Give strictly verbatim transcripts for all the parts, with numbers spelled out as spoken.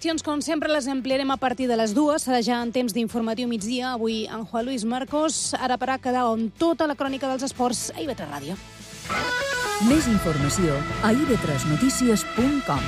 qüestions, com sempre, les ampliarem a partir de les dues. Serà ja en temps d'informatiu migdia. Avui en Juan Luis Marcos. Ara per a quedar amb tota la crònica dels esports a I V tres Ràdio. Més informació a i ve tres notícies punt com.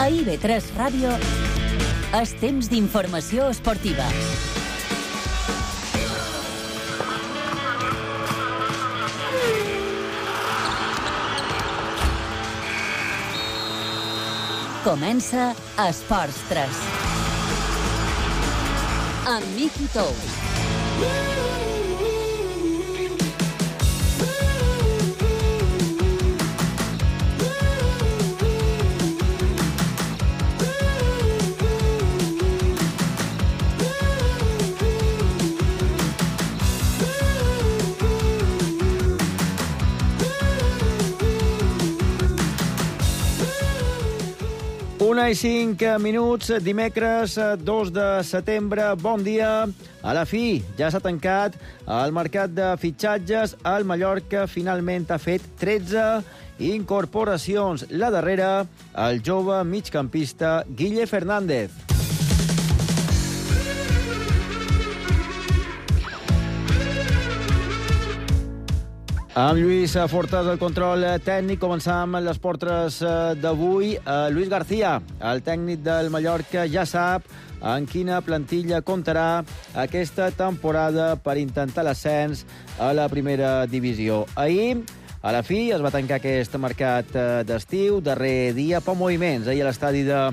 A I ve tres Ràdio, és temps d'informació esportiva. Comença Esports tres. Amb Miki Tous. Una i cinc minuts, dimecres dos de setembre. Bon dia. A la fi, ja s'ha tancat el mercat de fitxatges. El Mallorca finalment ha fet tretze incorporacions. La darrera, el jove migcampista Guille Fernández. Amb Lluís Fortes, el control tècnic. Començam les portes d'avui. Luis García, el tècnic del Mallorca, ja sap en quina plantilla comptarà aquesta temporada per intentar l'ascens a la primera divisió. Ahir, a la fi, es va tancar aquest mercat d'estiu, darrer dia, per moviments. Ahir a l'estadi de,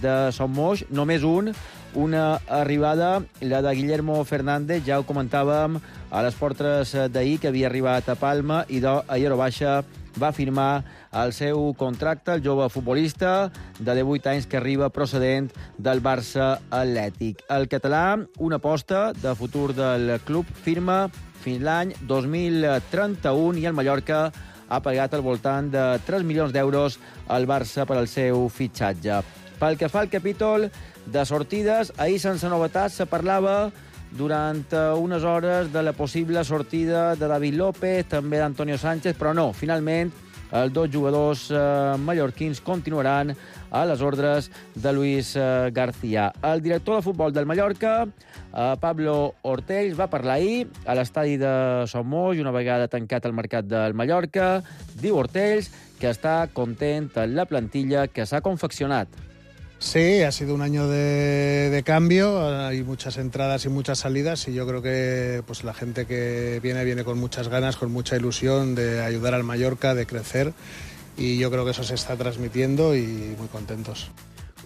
de Son Moix, només un, una arribada, la de Guillermo Fernández, ja ho comentàvem a les portes d'ahir, que havia arribat a Palma i d'ahir a baixa va firmar el seu contracte, el jove futbolista de divuit anys que arriba procedent del Barça Atlètic. El català, una aposta de futur del club, firma fins l'any dos mil trenta-u i el Mallorca ha pagat al voltant de tres milions d'euros al Barça per al seu fitxatge. Pel que fa al capítol de sortides, ahir sense novetats se parlava durant unes hores de la possible sortida de David López, també d'Antonio Sánchez, però no, finalment els dos jugadors eh, mallorquins continuaran a les ordres de Luis eh, García. El director de futbol del Mallorca, eh, Pablo Ortells, va parlar ahir a l'estadi de Son Moix, una vegada tancat el mercat del Mallorca. Diu Ortells que està content amb la plantilla que s'ha confeccionat. Sí, ha sido un año de, de cambio, hay muchas entradas y muchas salidas y yo creo que pues la gente que viene viene con muchas ganas, con mucha ilusión de ayudar al Mallorca, de crecer y yo creo que eso se está transmitiendo y muy contentos.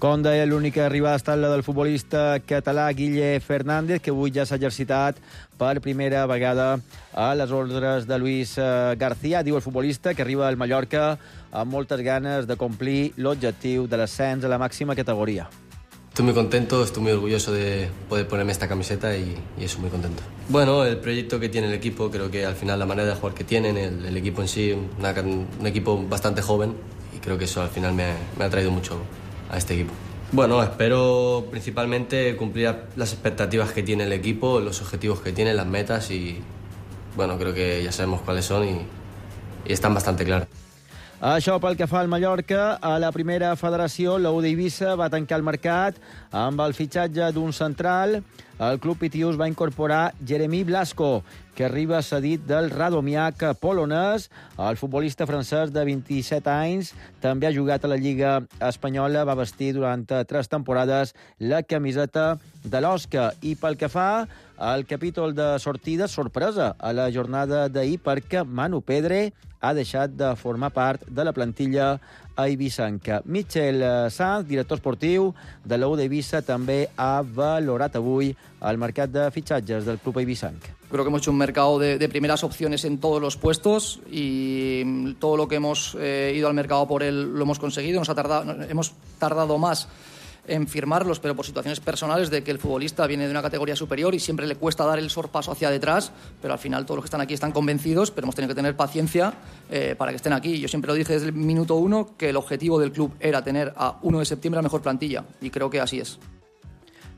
Com deia, l'única arribada ha estat la del futbolista català Guille Fernández, que avui ja s'ha exercitat per primera vegada a les ordres de Luis García. Diu el futbolista que arriba al Mallorca amb moltes ganes de complir l'objectiu de l'ascens a la màxima categoria. Estoy muy contento, estoy muy orgulloso de poder ponerme esta camiseta y, y eso, muy contento. Bueno, el proyecto que tiene el equipo, creo que al final la manera de jugar que tienen, el, el equipo en sí, una, un equipo bastante joven y creo que eso al final me, me ha traído mucho a este equipo. Bueno, espero principalmente cumplir las expectativas que tiene el equipo, los objetivos que tiene, las metas y bueno, creo que ya sabemos cuáles son y, y están bastante claras. Això pel que fa al Mallorca. A la primera federació, l'U d'Eivissa va tancar el mercat amb el fitxatge d'un central. El club pitius va incorporar Jeremy Blasco, que arriba cedit del Radomiak polonès. El futbolista francès de vint-i-set anys també ha jugat a la Lliga Espanyola, va vestir durant tres temporades la camiseta de l'Osca. I pel que fa al capítol de sortida, sorpresa a la jornada d'ahir, perquè Manu Pedre ha deixat de formar part de la plantilla eivissanca. Michel Sanz, director esportiu de l'U d'Eivissa, també ha valorat avui el mercat de fitxatges del club eivissanc. Creo que hemos hecho un mercado de, de primeras opciones en todos los puestos y todo lo que hemos eh, ido al mercado por él lo hemos conseguido. Nos ha tardado, hemos tardado más en firmarlos, pero por situaciones personales de que el futbolista viene de una categoría superior y siempre le cuesta dar el sorpaso hacia detrás, pero al final todos los que están aquí están convencidos, pero hemos tenido que tener paciencia eh, para que estén aquí. Yo siempre lo dije desde el minuto uno que el objetivo del club era tener a uno de septiembre la mejor plantilla, y creo que así es.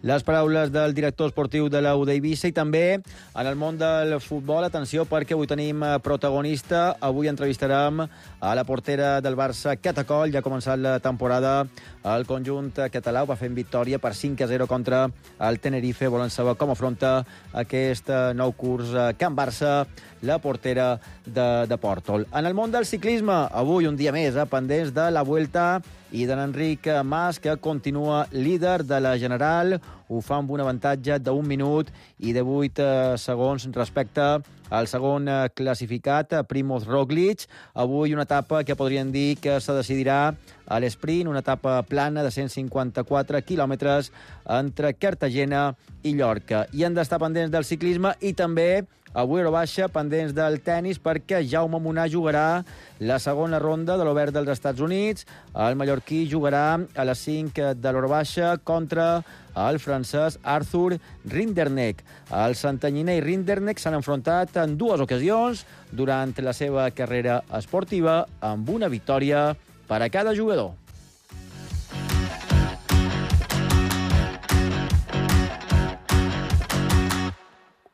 Les paraules del director esportiu de l'U d'Eivissa i també en el món del futbol. Atenció, perquè avui tenim protagonista. Avui entrevistarem a la portera del Barça, Keta Coll. Ja ha començat la temporada. El conjunt català ho va fer en victòria per cinc a zero contra el Tenerife. Volen saber com afronta aquest nou curs Can Barça, la portera de, de Pòrtol. En el món del ciclisme, avui un dia més, eh, pendents de la Vuelta i de l'Enric Mas, que continua líder de la General. Ho fa amb un avantatge d'un minut i de vuit eh, segons respecte al segon eh, classificat, Primoz Roglic. Avui una etapa que podríem dir que se decidirà a l'esprint, una etapa plana de cent cinquanta-quatre quilòmetres entre Cartagena i Llorca. I han d'estar pendents del ciclisme i també avui a Eurobaixa, pendents del tennis, perquè Jaume Munà jugarà la segona ronda de l'Obert dels Estats Units. El mallorquí jugarà a les cinc de l'Eurobaixa contra el francès Arthur Rinderknech. El santanyiner i Rinderknech s'han enfrontat en dues ocasions durant la seva carrera esportiva, amb una victòria per a cada jugador.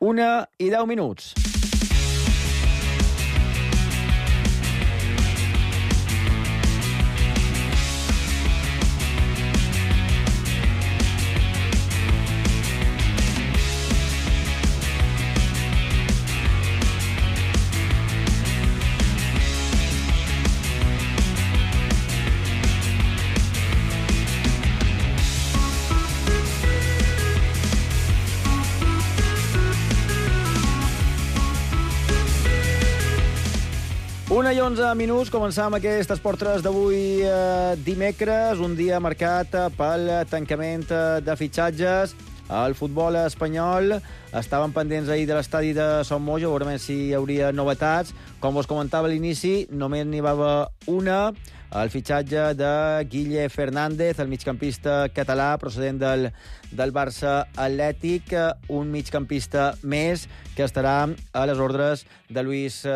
Una i deu minuts. Una i onze minuts, començam aquest Esport tres d'avui eh, dimecres, un dia marcat pel tancament de fitxatges. El futbol espanyol estaven pendents ahir de l'estadi de Son Moix, veurem si hi hauria novetats. Com us comentava a l'inici, només n'hi va haver una, el fitxatge de Guille Fernández, el migcampista català procedent del, del Barça Atlètic, un migcampista més que estarà a les ordres de Luis eh,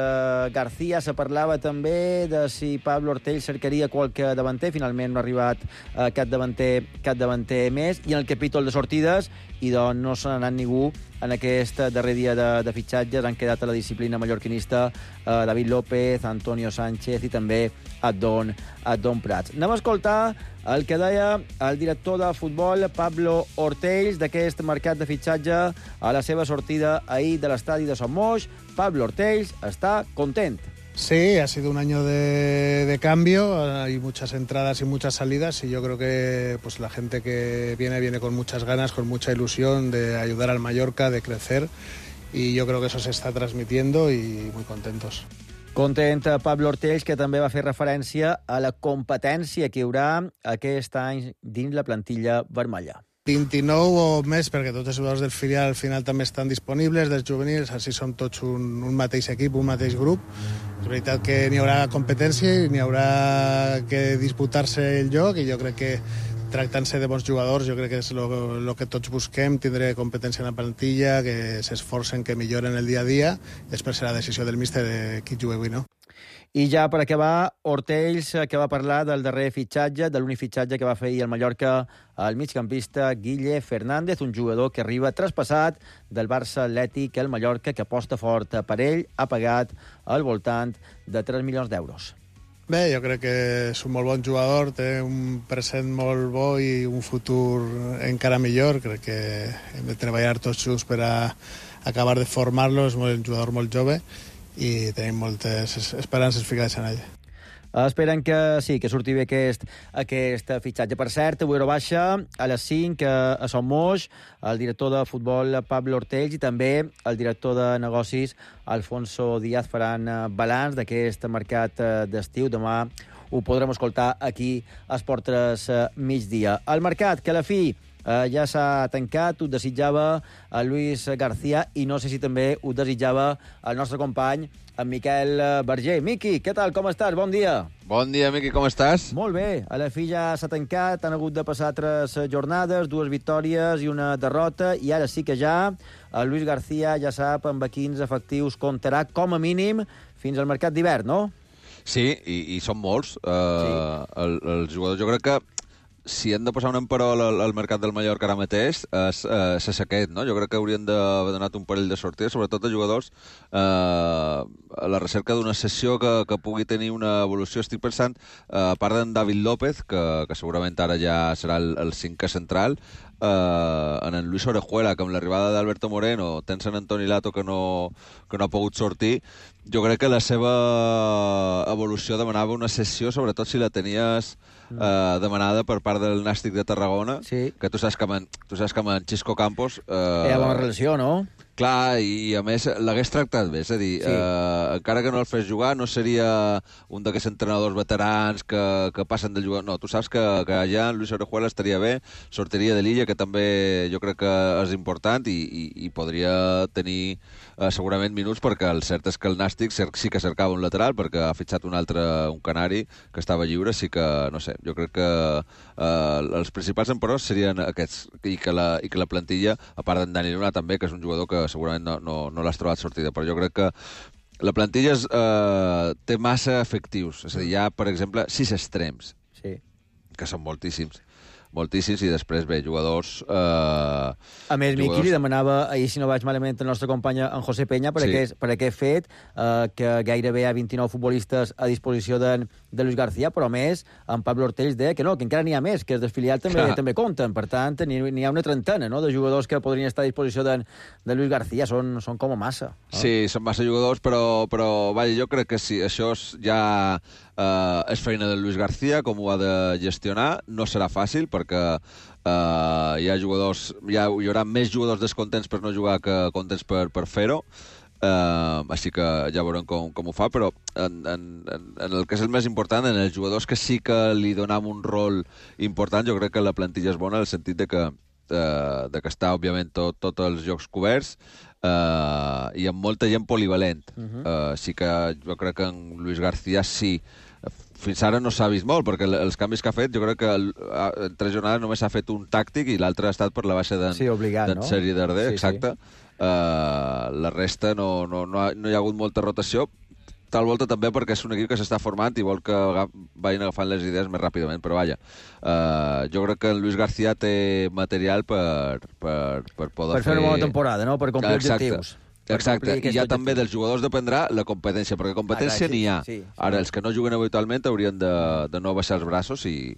García. Se parlava també de si Pablo Ortell cercaria qualque davanter. Finalment no ha arribat eh, cap davanter, cap davanter més. I en el capítol de sortides, i doncs no se n'ha anat ningú en aquest darrer dia de, de fitxatges. Han quedat a la disciplina mallorquinista eh, David López, Antonio Sánchez i també Adon, Adon Prats. Anem a escoltar el que deia el director de futbol, Pablo Ortells, d'aquest mercat de fitxatge a la seva sortida ahir de l'estadi de Son Moix. Pablo Ortells està content. Sí, ha sido un año de, de cambio, hay muchas entradas y muchas salidas y yo creo que pues la gente que viene viene con muchas ganas, con mucha ilusión de ayudar al Mallorca, de crecer, y yo creo que eso se está transmitiendo y muy contentos. Content Pablo Ortells, que també va fer referència a la competència que hi haurà aquest any dins la plantilla vermella. vint-i-nou o més, perquè tots els jugadors del filial al final també estan disponibles, dels juvenils, així som tots un, un mateix equip, un mateix grup. És veritat que n'hi haurà competència i n'hi haurà que disputar-se el lloc, i jo crec que tractant-se de bons jugadors, jo crec que és el que tots busquem, tindre competència en la plantilla, que s'esforcen, que milloren el dia a dia, i després serà la decisió del míster de qui juga avui, no? I ja per acabar, Ortells, que va parlar del darrer fitxatge, de l'únic fitxatge que va fer ahir al Mallorca, el migcampista Guille Fernández, un jugador que arriba traspassat del Barça Atlètic, el Mallorca, que aposta fort per ell, ha pagat al voltant de tres milions d'euros. Bé, jo crec que és un molt bon jugador, té un present molt bo i un futur encara millor. Crec que hem de treballar tots junts per a acabar de formar-lo, és un jugador molt jove i tenim moltes esperances ficades en ell. Esperen que sí, que surti bé aquest, aquest fitxatge. Per cert, avui a Eurobaixa, a les cinc, a Son Moix, el director de futbol Pablo Ortells i també el director de negocis Alfonso Díaz faran balanç d'aquest mercat d'estiu. Demà ho podrem escoltar aquí a Esport tres migdia. El mercat, que a la fi eh, ja s'ha tancat, ho desitjava el Luis García i no sé si també ho desitjava el nostre company, en Miquel Berger. Miqui, què tal, com estàs? Bon dia. Bon dia, Miqui, com estàs? Molt bé, a la fi ja s'ha tancat, han hagut de passar tres jornades, dues victòries i una derrota, i ara sí que ja el Luis García ja sap amb quins efectius comptarà, com a mínim, fins al mercat d'hivern, no? Sí, i, i són molts. Uh, sí. el, els jugadors, jo crec que si hem de posar un emperol al, al mercat del Mallorca ara mateix, és, uh, és aquest, no? Jo crec que haurien d'haver donat un parell de sortides, sobretot a jugadors uh, a la recerca d'una sessió que, que pugui tenir una evolució. Estic pensant, uh, a part d'en David López, que, que segurament ara ja serà el, el cinquè central, Uh, en en Luis Orejuela, que amb l'arribada d'Alberto Moreno, tens en Antoni Lato que no, que no ha pogut sortir, jo crec que la seva evolució demanava una sessió, sobretot si la tenies uh, demanada per part del Nàstic de Tarragona, sí. que tu saps que amb, tu saps que amb en Xisco Campos... Uh, Hi ha bona relació, no? Clar, i, i a més l'hagués tractat bé, és a dir, sí. eh, encara que no el fes jugar, no seria un d'aquests entrenadors veterans que, que passen del jugador. No, tu saps que, que allà en Luis Orejuela estaria bé, sortiria de l'Illa, que també jo crec que és important, i, i, i podria tenir eh, segurament minuts, perquè el cert és que el Nàstic sí que cercava un lateral, perquè ha fitxat un altre, un canari, que estava lliure, sí que, no sé, jo crec que eh, els principals emperors serien aquests, i que la, i que la plantilla, a part d'en Dani Luna també, que és un jugador que segurament no, no, no l'has trobat sortida, però jo crec que la plantilla és, eh, té massa efectius. És a dir, hi ha, per exemple, sis extrems, sí. que són moltíssims. Moltíssims, i després, bé, jugadors... Eh, a més, jugadors... Miqui li demanava, ahir, si no vaig malament, el nostre company en José Peña, per, sí. aquest, per aquest fet, eh, que gairebé hi ha vint-i-nou futbolistes a disposició de, de Luis García, però a més, en Pablo Ortells deia que no, que encara n'hi ha més, que els desfiliats també, també compten. Per tant, n'hi ha una trentena, no?, de jugadors que podrien estar a disposició de, de Luis García. Són, són com a massa. No? Sí, són massa jugadors, però, però vaja, jo crec que sí, això ja... Uh, és feina de Luis García, com ho ha de gestionar. No serà fàcil, perquè uh, hi ha jugadors, hi, ha, hi haurà més jugadors descontents per no jugar que contents per, per fer-ho. Uh, així que ja veurem com, com ho fa, però en, en, en el que és el més important, en els jugadors que sí que li donem un rol important, jo crec que la plantilla és bona, en el sentit de que, uh, de que està, òbviament, tot, tots els jocs coberts, uh, i amb molta gent polivalent. Uh-huh. uh, sí que jo crec que en Luis García sí. Fins ara no s'ha vist molt, perquè els canvis que ha fet, jo crec que en tres jornades només s'ha fet un tàctic i l'altre ha estat per la baixa d'en sí, no? Sergi Darder, sí, exacte. Sí. Uh, la resta no, no, no, ha, no hi ha hagut molta rotació, tal volta també perquè és un equip que s'està formant i vol que vagin agafant les idees més ràpidament, però vaja, uh, jo crec que en Luis García té material per, per, per poder per fer... Per fer una bona temporada, no?, per complir exacte. objectius. Exacte, i ja també dels jugadors dependrà la competència, perquè competència ah, sí, n'hi ha. Sí, sí. Ara, els que no juguen habitualment haurien de, de no baixar els braços i,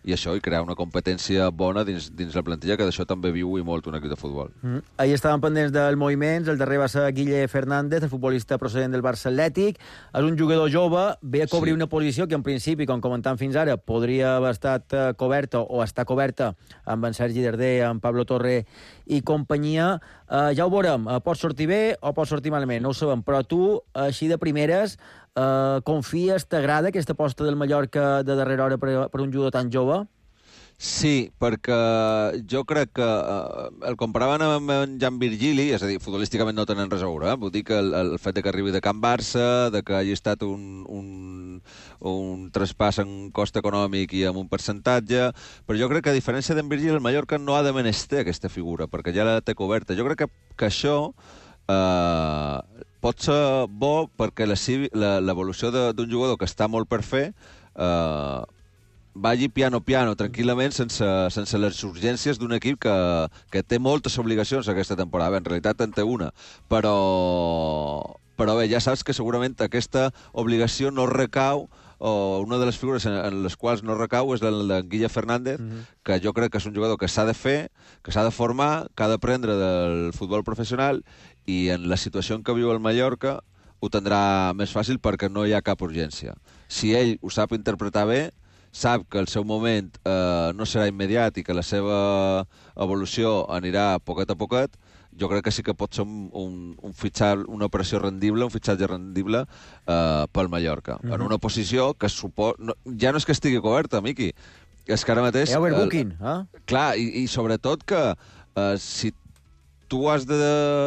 i això, i crear una competència bona dins, dins la plantilla, que d'això també viu i molt un equip de futbol. Mm. Ahir estàvem pendents dels moviments, el darrer va ser Guille Fernández, el futbolista procedent del Barça Atlètic. És un jugador jove, ve a cobrir sí. una posició que en principi, com comentam fins ara, podria haver estat coberta o està coberta amb en Sergi Darder, amb Pablo Torre i companyia. Uh, ja ho veurem, uh, pot sortir bé o pot sortir malament, no ho sabem, però tu, així de primeres, Uh, confies, t'agrada aquesta aposta del Mallorca de darrera hora per, per un jugador tan jove? Sí, perquè jo crec que uh, el comparaven amb en Jan Virgili, és a dir, futbolísticament no tenen res a veure, eh? Vull dir que el, el fet de que arribi de Can Barça, de que hagi estat un, un, un traspàs en cost econòmic i amb un percentatge, però jo crec que a diferència d'en Virgili, el Mallorca no ha de menester aquesta figura, perquè ja la té coberta. Jo crec que, que això... Uh, pot ser bo perquè l'evolució d'un jugador que està molt per fer eh, vagi piano-piano, tranquil·lament, sense, sense les urgències d'un equip que, que té moltes obligacions aquesta temporada. Bé, en realitat en té una, però, però bé, ja saps que segurament aquesta obligació no recau, o una de les figures en, en les quals no recau és el de Guille Fernández, mm-hmm. que jo crec que és un jugador que s'ha de fer, que s'ha de formar, que ha d'aprendre del futbol professional, i en la situació en què viu el Mallorca ho tindrà més fàcil perquè no hi ha cap urgència. Si ell ho sap interpretar bé, sap que el seu moment eh, no serà immediat i que la seva evolució anirà poquet a poquet, jo crec que sí que pot ser un, un, un fitxar, una operació rendible, un fitxatge rendible eh, pel Mallorca. Mm-hmm. En una posició que supo... no, ja no és que estigui coberta, Miqui, és que ara mateix... Hi ha overbooking, eh? Clar, i, i sobretot que uh, si tu has de...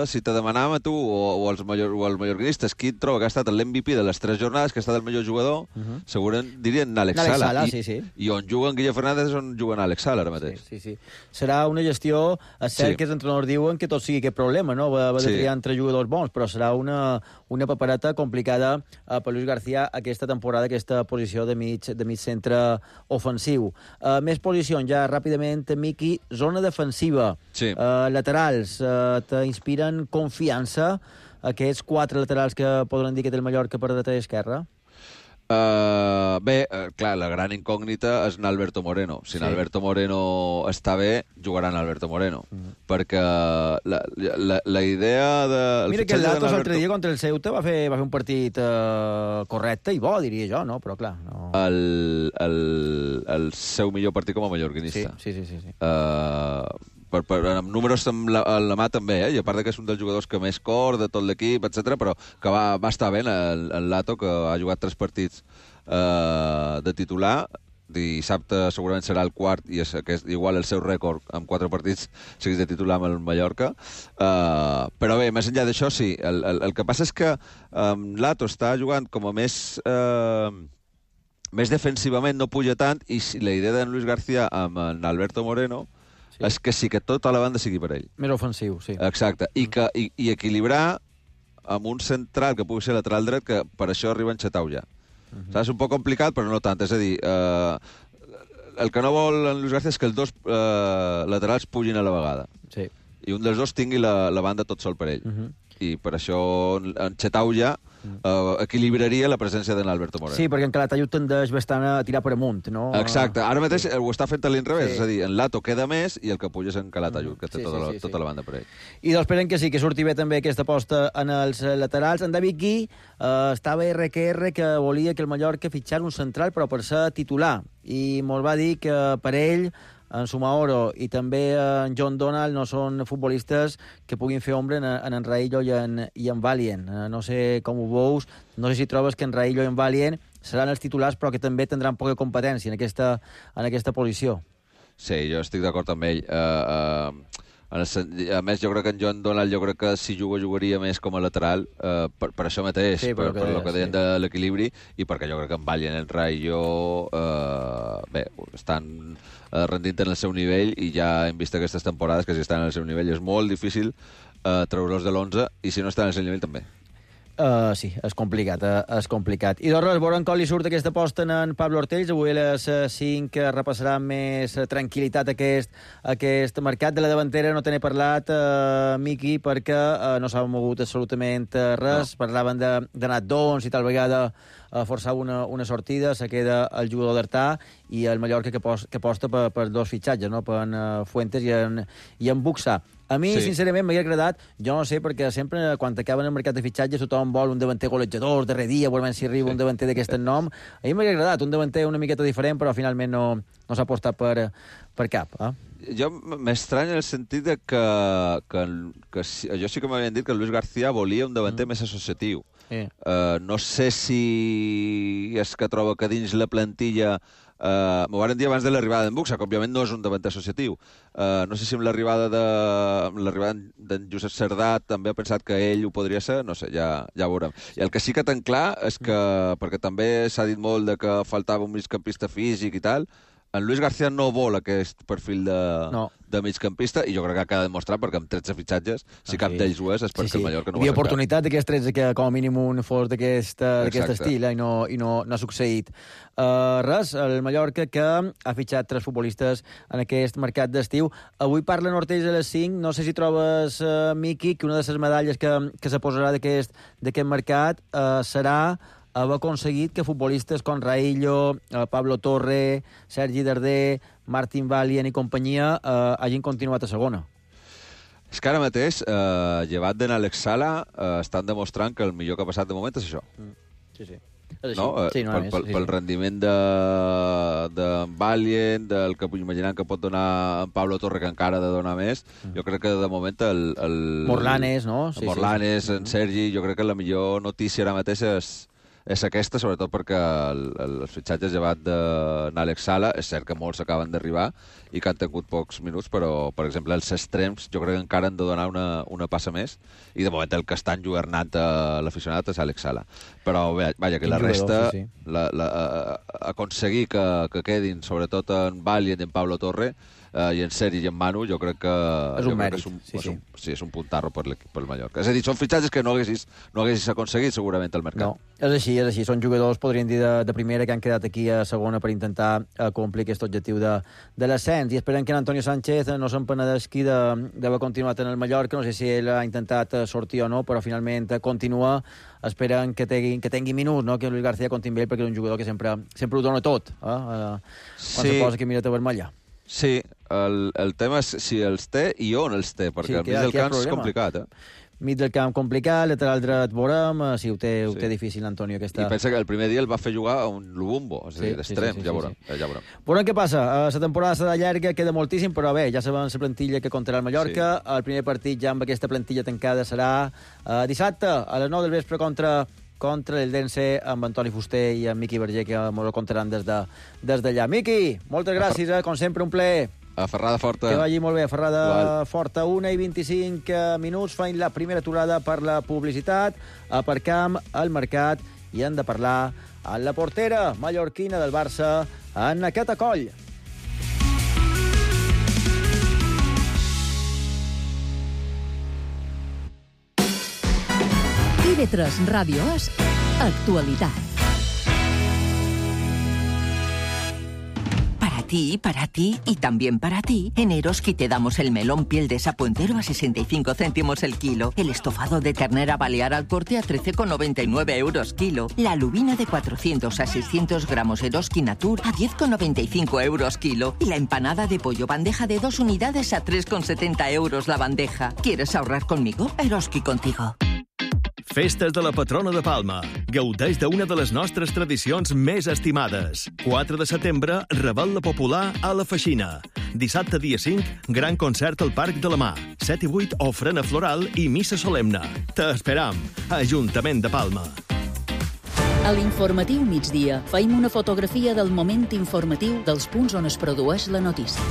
Si te demanàvem a tu o, o, els mallor, o els mallorquinistes qui et troba que ha estat l'M V P de les tres jornades, que ha estat el millor jugador, uh -huh. segurament dirien Àlex Sala. Sala I, sí, sí. I on juguen Guille Fernández és on juguen Àlex Sala ara mateix. Sí, sí, sí. Serà una gestió... És cert sí. que els entrenadors diuen que tot sigui aquest problema, no? Va, va de sí. triar entre jugadors bons, però serà una, una papereta complicada uh, per Luis García aquesta temporada, aquesta posició de mig, de mig centre ofensiu. Uh, més posicions, ja ràpidament, Miqui, zona defensiva, sí. uh, laterals, uh, t'inspira confiança aquests quatre laterals que poden dir que té el Mallorca per dreta i esquerra? Uh, bé, uh, clar, la gran incògnita és Alberto Moreno. Si sí. Alberto Moreno està bé, jugaran Alberto Moreno. Mm. Perquè la, la, la idea de... Mira que el Latos l'altre dia contra el Ceuta va fer, va fer un partit uh, correcte i bo, diria jo, no? Però clar... No... El, el, el seu millor partit com a mallorquinista. Sí, sí, sí. sí, sí. Uh, Per, per, amb números amb la, amb la mà també, eh? I a part que és un dels jugadors que més cor de tot l'equip, etcètera, però que va, va estar bé el, el Lato, que ha jugat tres partits eh, de titular. Dissabte segurament serà el quart i és, que és igual el seu rècord amb quatre partits seguits de titular amb el Mallorca. Uh, però bé, més enllà d'això, sí. El, el, el que passa és que um, Lato està jugant com a més... Uh, més defensivament, no puja tant, i si la idea d'en Luis García amb en Alberto Moreno sí. és que sí que tota la banda sigui per ell. Més ofensiu, sí. Exacte. I, que, i, i equilibrar amb un central que pugui ser lateral dret, que per això arriba en Xetau ja. Uh -huh. És un poc complicat, però no tant. És a dir, eh, el que no vol en Luis García és que els dos eh, laterals pugin a la vegada. Sí. I un dels dos tingui la, la banda tot sol per ell. Uh -huh. I per això en Xetau ja Uh, equilibraria la presència d'en Alberto Moreno. Sí, perquè en Calatayud tendeix bastant a tirar per amunt, no? Exacte. Ara mateix sí. ho està fent a l'inrevés, sí. és a dir, en Lato queda més i el que puja és en Calatayud, que té sí, tota, sí, la, sí, tota sí. la banda per ell. I doncs esperem que sí, que surti bé també aquesta aposta en els laterals. En David Gui uh, estava erre que erre que volia que el Mallorca fitxar un central, però per ser titular. I molt va dir que per ell en Sumaoro i també en John Donald no són futbolistes que puguin fer ombra en, en en Raillo i en, i en Valient. No sé com ho veus, no sé si trobes que en Raillo i en Valient seran els titulars però que també tindran poca competència en aquesta, en aquesta posició. Sí, jo estic d'acord amb ell. Uh, uh, a més, jo crec que en John Donald jo crec que si juga, jugaria més com a lateral uh, per, per això mateix, sí, per, per, per el que deien sí. de l'equilibri, i perquè jo crec que en Valient, en Raillo uh, bé, estan uh, rendint en el seu nivell i ja hem vist aquestes temporades que si estan en el seu nivell és molt difícil uh, treure-los de l'onze i si no estan en el seu nivell també. Uh, sí, és complicat, uh, és complicat. I doncs, veurem com li surt aquesta aposta en Pablo Ortells. Avui a les cinc repassarà més tranquil·litat aquest, aquest mercat. De la davantera no te n'he parlat, uh, Miqui, perquè uh, no s'ha mogut absolutament res. No. Parlaven de, de Nat Dons i tal vegada uh, forçava una, una sortida, se queda el jugador d'Artà i el Mallorca que, pos, que aposta per, per dos fitxatges, no? Per en uh, Fuentes i en, i en Buxà. A mi, sí. sincerament, m'hauria agradat, jo no sé, perquè sempre, quan acaben el mercat de fitxatges, tothom vol un davanter golejador, darrer dia, veurem si arriba sí. un davanter d'aquest nom. A mi m'hauria agradat un davanter una miqueta diferent, però finalment no, no s'ha apostat per, per cap. Eh? Jo m'estranya en el sentit de que, que, que, que jo sí que m'havien dit que Luis García volia un davanter mm. més associatiu. Sí. Uh, no sé si és que troba que dins la plantilla Uh, m'ho van dir abans de l'arribada d'en Buxà, que òbviament no és un davanter associatiu. Uh, no sé si amb l'arribada de amb l'arribada d'en Josep Cerdà també ha pensat que ell ho podria ser, no sé, ja, ja ho veurem. I el que sí que ten clar és que, perquè també s'ha dit molt de que faltava un migcampista físic i tal, en Luis García no vol aquest perfil de, no. de migcampista, i jo crec que ha quedat demostrat, perquè amb tretze fitxatges, si cap d'ells ho és, és perquè sí, sí. el Mallorca no ho ha acceptat. Hi havia oportunitat d'aquests tretze que com a mínim un fos d'aquest estil, eh, i, no, i no, no ha succeït. Uh, res, el Mallorca que ha fitxat tres futbolistes en aquest mercat d'estiu. Avui parlen Ortells a les cinc, no sé si trobes, uh, Miqui, que una de les medalles que, que se posarà d'aquest mercat uh, serà haver aconseguit que futbolistes com Raillo, eh, Pablo Torre, Sergi Darder, Martin Valient i companyia eh, hagin continuat a segona. És que ara mateix, eh, llevat d'en Àlex Sala, eh, estan demostrant que el millor que ha passat de moment és això. Mm. Sí, sí. És no? Sí, no pel, pel, sí, pel rendiment de, de Valient, del que imaginant que pot donar en Pablo Torre, que encara ha de donar més, mm. jo crec que de moment el... el Morlanes, no? Sí, Morlanes, sí, sí. en Sergi, jo crec que la millor notícia ara mateix és és aquesta, sobretot perquè el, el, els fitxatges llevat de n'Àlex Sala, és cert que molts acaben d'arribar i que han tingut pocs minuts, però, per exemple, els extrems jo crec que encara han de donar una, una passa més, i de moment el que està enlluernant a l'aficionat és Àlex Sala. Però, bé, vaja, que la resta, sí, sí. La, la, aconseguir que, que quedin, sobretot en Val i en Pablo Torre, Uh, i en Sergi i en Manu, jo crec que és un mèrit, és un, sí, és un, sí. sí, és un puntarro per el Mallorca. És a dir, són fitxatges que no haguessis, no haguessis aconseguit segurament al mercat. No, és així, és així. Són jugadors, podríem dir, de, de primera que han quedat aquí a segona per intentar uh, complir aquest objectiu de, de l'ascens. I esperem que en Antonio Sánchez no se'n penedesqui d'haver continuat en el Mallorca. No sé si ell ha intentat sortir o no, però finalment continua. Esperen que tingui, que tingui minuts, no? Que Luis García compti amb ell, perquè és un jugador que sempre, sempre ho dona tot, eh? Uh, quan sí. se posa aquí mireta vermella. Sí, el, el tema és si els té i on els té, perquè sí, al mig del camp és complicat, eh? Mig del camp complicat, lateral dret veurem, si ho té, ho té sí. difícil, Antonio. Aquesta... I pensa que el primer dia el va fer jugar a un Lubumbo, és a dir, d'extrem, sí, sí, sí, ja veurem. Sí, sí. Ja veurem. Veurem què passa. La temporada serà llarga, queda moltíssim, però bé, ja sabem la plantilla que comptarà el Mallorca. Sí. El primer partit ja amb aquesta plantilla tancada serà uh, dissabte a les nou del vespre contra... contra el Dense amb Antoni Fuster i amb Miqui Verger, que ens ho contaran des d'allà. De, des d'allà. Miqui, moltes gràcies, eh? Com sempre, un plaer. A Ferrada Forta. Que vagi molt bé, Ferrada Igual. Forta. una i vint-i-cinc minuts, fan la primera aturada per la publicitat. Aparcam al mercat i hem de parlar amb la portera mallorquina del Barça, en aquest acoll. I V tres Radio es actualidad. Para ti, para ti y también para ti, en Eroski te damos el melón piel de sapo entero a sesenta y cinco céntimos el kilo, el estofado de ternera balear al corte a trece con noventa y nueve euros kilo, la lubina de cuatrocientos a seiscientos gramos Eroski Natur a diez con noventa y cinco euros kilo y la empanada de pollo bandeja de dos unidades a tres con setenta euros la bandeja. ¿Quieres ahorrar conmigo? Eroski contigo. Festes de la patrona de Palma. Gaudeix d'una de les nostres tradicions més estimades. quatre de setembre, Rebel·la Popular a la Feixina. Dissabte, dia cinc, gran concert al Parc de la Mar. set i vuit, ofrena floral i missa solemne. T'esperam. Ajuntament de Palma. A l'informatiu migdia feim una fotografia del moment informatiu dels punts on es produeix la notícia.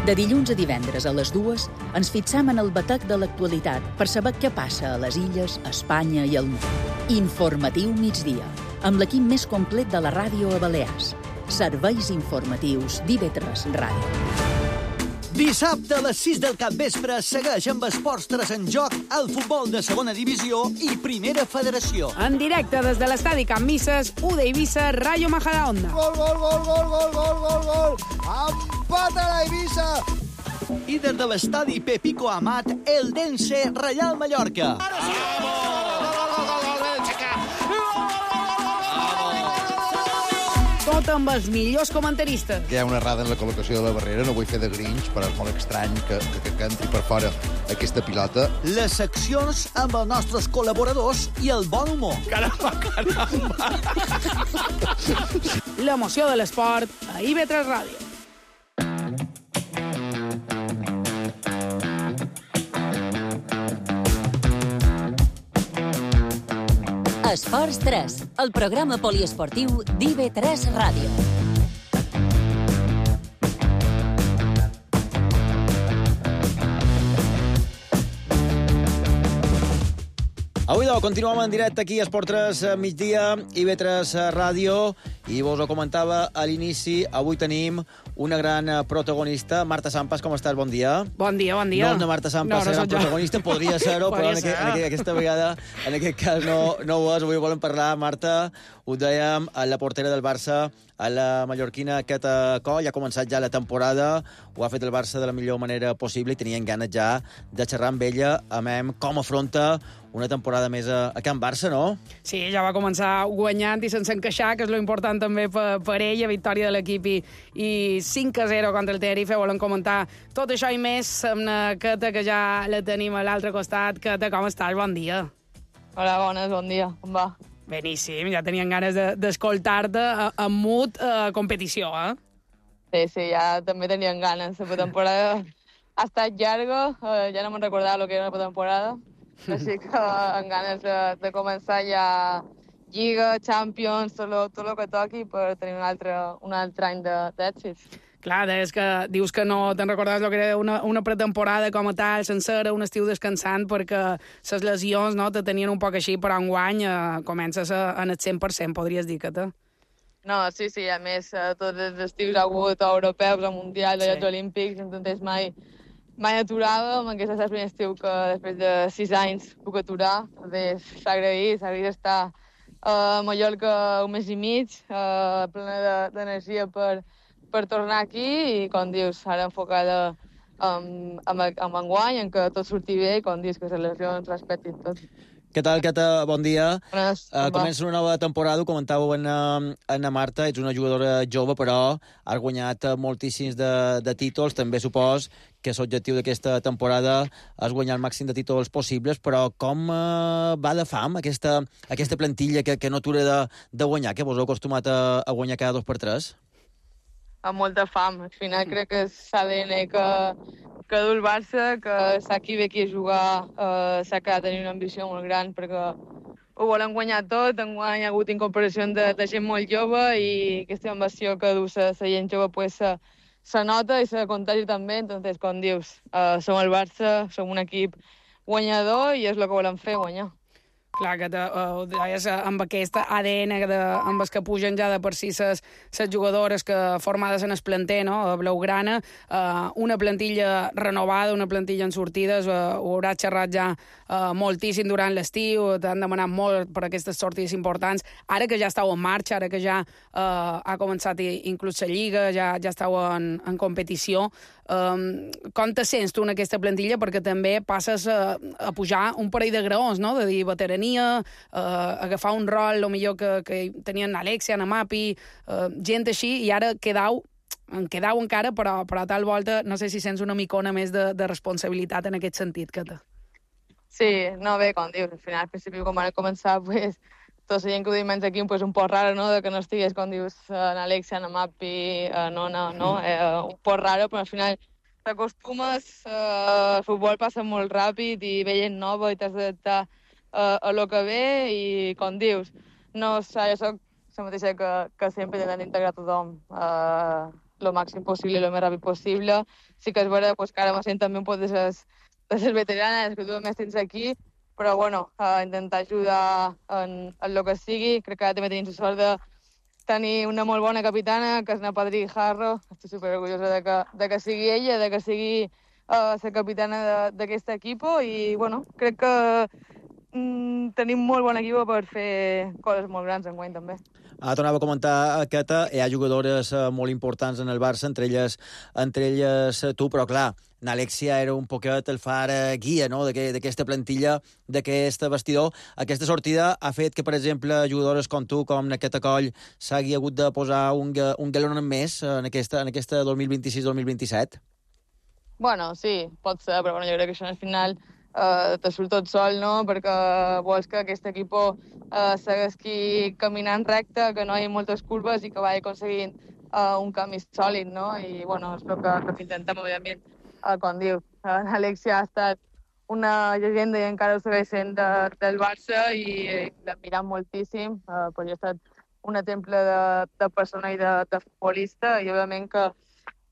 De dilluns a divendres a les dues ens fixam en el batec de l'actualitat per saber què passa a les illes, a Espanya i al món. Informatiu migdia, amb l'equip més complet de la ràdio a Balears. Serveis informatius d'I V tres Ràdio. Dissabte a les sis del capvespre segueix amb esports tres en joc el futbol de segona divisió i primera federació. En directe des de l'estadi Can Misses, U D Eivissa, Rayo Majadahonda. Gol, gol, gol, gol, gol, gol, gol, gol! Empata la Eivissa! I des de l'estadi Pepico Amat, el Dense Reial Mallorca. Tot amb els millors comentaristes. Hi ha una errada en la col·locació de la barrera, no vull fer de Grinch, però és molt estrany que, que, que entri per fora aquesta pilota. Les seccions amb els nostres col·laboradors i el bon humor. Caramba, caramba! L'emoció de l'esport a I V tres Ràdio. Esports tres, el programa poliesportiu d'I V tres Ràdio. Avui, doncs, continuem en directe aquí a Esport tres migdia, I V tres Ràdio, i vos ho comentava a l'inici, avui tenim una gran protagonista. Marta Sampas, com estàs? Bon dia. Bon dia, bon dia. No, no Marta Sampas, no, no gran protagonista, podria ser-ho, però en, aquest, en aquest, aquesta vegada, en aquest cas no, no ho és. Avui volem parlar, Marta, ho dèiem, a la portera del Barça, a la mallorquina Cata Coll. Ha començat ja la temporada, ho ha fet el Barça de la millor manera possible i tenien ganes ja de xerrar amb ella, amb com afronta una temporada més a, a Can Barça, no? Sí, ja va començar guanyant i sense encaixar, que és lo important també per, per ella, victòria de l'equip i, i cinc a zero contra el Tenerife. Volem comentar tot això i més amb la Cata, que ja la tenim a l'altre costat. Cata, com estàs? Bon dia. Hola, bones, bon dia. Com va? Beníssim, ja tenien ganes d'escoltar-te de, en mut a competició, eh? Sí, sí, ja també tenien ganes. La temporada ha estat llarga, eh, ja no me'n recordava el que era la temporada, així que amb ganes de, de començar ja, Lliga, Champions, tot el, tot el que toqui per tenir un altre, un altre any d'èxits. Clar, és que dius que no te'n recordaves el que era una, una pretemporada com a tal, sencera, un estiu descansant, perquè les lesions no, te tenien un poc així, però enguany eh, comences a, en el cent per cent, podries dir que te... No, sí, sí, a més, eh, tots els estius ha hagut europeus, el Mundial, els Jocs Olímpics, entonces mai, mai aturàvem, aquest és el primer estiu que després de sis anys puc aturar, s'ha agraït, s'ha agraït estar a Mallorca un mes i mig, eh, plena d'energia per, per tornar aquí i, com dius, ara enfocada amb, amb, amb enguany, en què tot surti bé i, com dius, que les lesions respectin tot. Què tal, Cata? Bon dia. Bones, uh, comença una nova temporada, ho comentàveu en, en Marta, ets una jugadora jove, però has guanyat moltíssims de, de títols, també supos que l'objectiu d'aquesta temporada és guanyar el màxim de títols possibles, però com uh, va de fam aquesta, aquesta plantilla que, que no atura de, de guanyar, que vos heu acostumat a, a guanyar cada dos per tres? Amb molta fam. Al final crec que és l'A D N que, que du el Barça, que sap qui ve aquí a jugar, eh, sap que ha de tenir una ambició molt gran, perquè ho volen guanyar tot, enguany ha hagut incorporacions de, de gent molt jove i aquesta ambició que du la gent jove pues, se, se nota i se contagi també, entonces, com dius, eh, som el Barça, som un equip guanyador i és el que volem fer, guanyar. Clar, que te, uh, deies, amb aquest A D N de, amb els que pugen ja de per si ses, ses jugadores que formades en el planter, no? Blaugrana, uh, una plantilla renovada, una plantilla en sortides, uh, ho hauràs xerrat ja uh, moltíssim durant l'estiu, t'han demanat molt per aquestes sortides importants. Ara que ja estàu en marxa, ara que ja uh, ha començat inclús la Lliga, ja, ja estàu en, en competició, Um, com te sents tu en aquesta plantilla? Perquè també passes a, a pujar un parell de graons, no? De dir veterania, uh, agafar un rol, el millor que, que tenien Alexia, Namapi, uh, gent així, i ara quedau, en quedau encara, però, però a tal volta no sé si sents una micona més de, de responsabilitat en aquest sentit que te... Sí, no, bé, com dius, al final, al principi, quan van començar, pues, tota la gent que ho diuen aquí pues, un poc raro, no?, de que no estigués, com dius, en Alexia, en Amapi, en Nona, no?, eh, un poc raro, però al final t'acostumes, eh, el futbol passa molt ràpid i ve gent nova i t'has d'adaptar eh, a lo que ve i, com dius, no, jo soc la mateixa que, que sempre intentant integrar tothom eh, lo màxim possible i lo més ràpid possible. Sí que és vera pues, que ara me sent també un poc de les, de les veteranes que tu més tens aquí, però bueno, uh, intentar ajudar en, en el que sigui. Crec que ara també tenim la sort de tenir una molt bona capitana, que és na Padrí Jarro. Estic superorgullosa de que, de que sigui ella, de que sigui uh, la capitana d'aquest equip i bueno, crec que mm, tenim molt bon equip per fer coses molt grans enguany també. Ah, tornava a comentar, Cata, hi ha jugadores uh, molt importants en el Barça, entre elles, entre elles uh, tu, però clar, n'Alexia era un poquet el far uh, guia, no?, d'aquesta plantilla, d'aquest vestidor. Aquesta sortida ha fet que, per exemple, jugadores com tu, com Naqueta Coll, s'hagi hagut de posar un, un galon més en aquesta, en aquesta dos mil vint-i-sis dos mil vint-i-set? Bueno, sí, pot ser, però bueno, jo crec que això al final Uh, te surt tot sol, no?, perquè vols que aquest equip uh, segueixi caminant recte, que no hi ha moltes curves i que vagi aconseguint uh, un camí sòlid, no? I, bueno, és el que, que intentem, òbviament, uh, com diu. Uh, Alexia ha estat una llegenda i encara ho segueix sent de, del Barça i l'admirem moltíssim, uh, però jo he estat un exemple de, de persona i de, de futbolista i, òbviament, que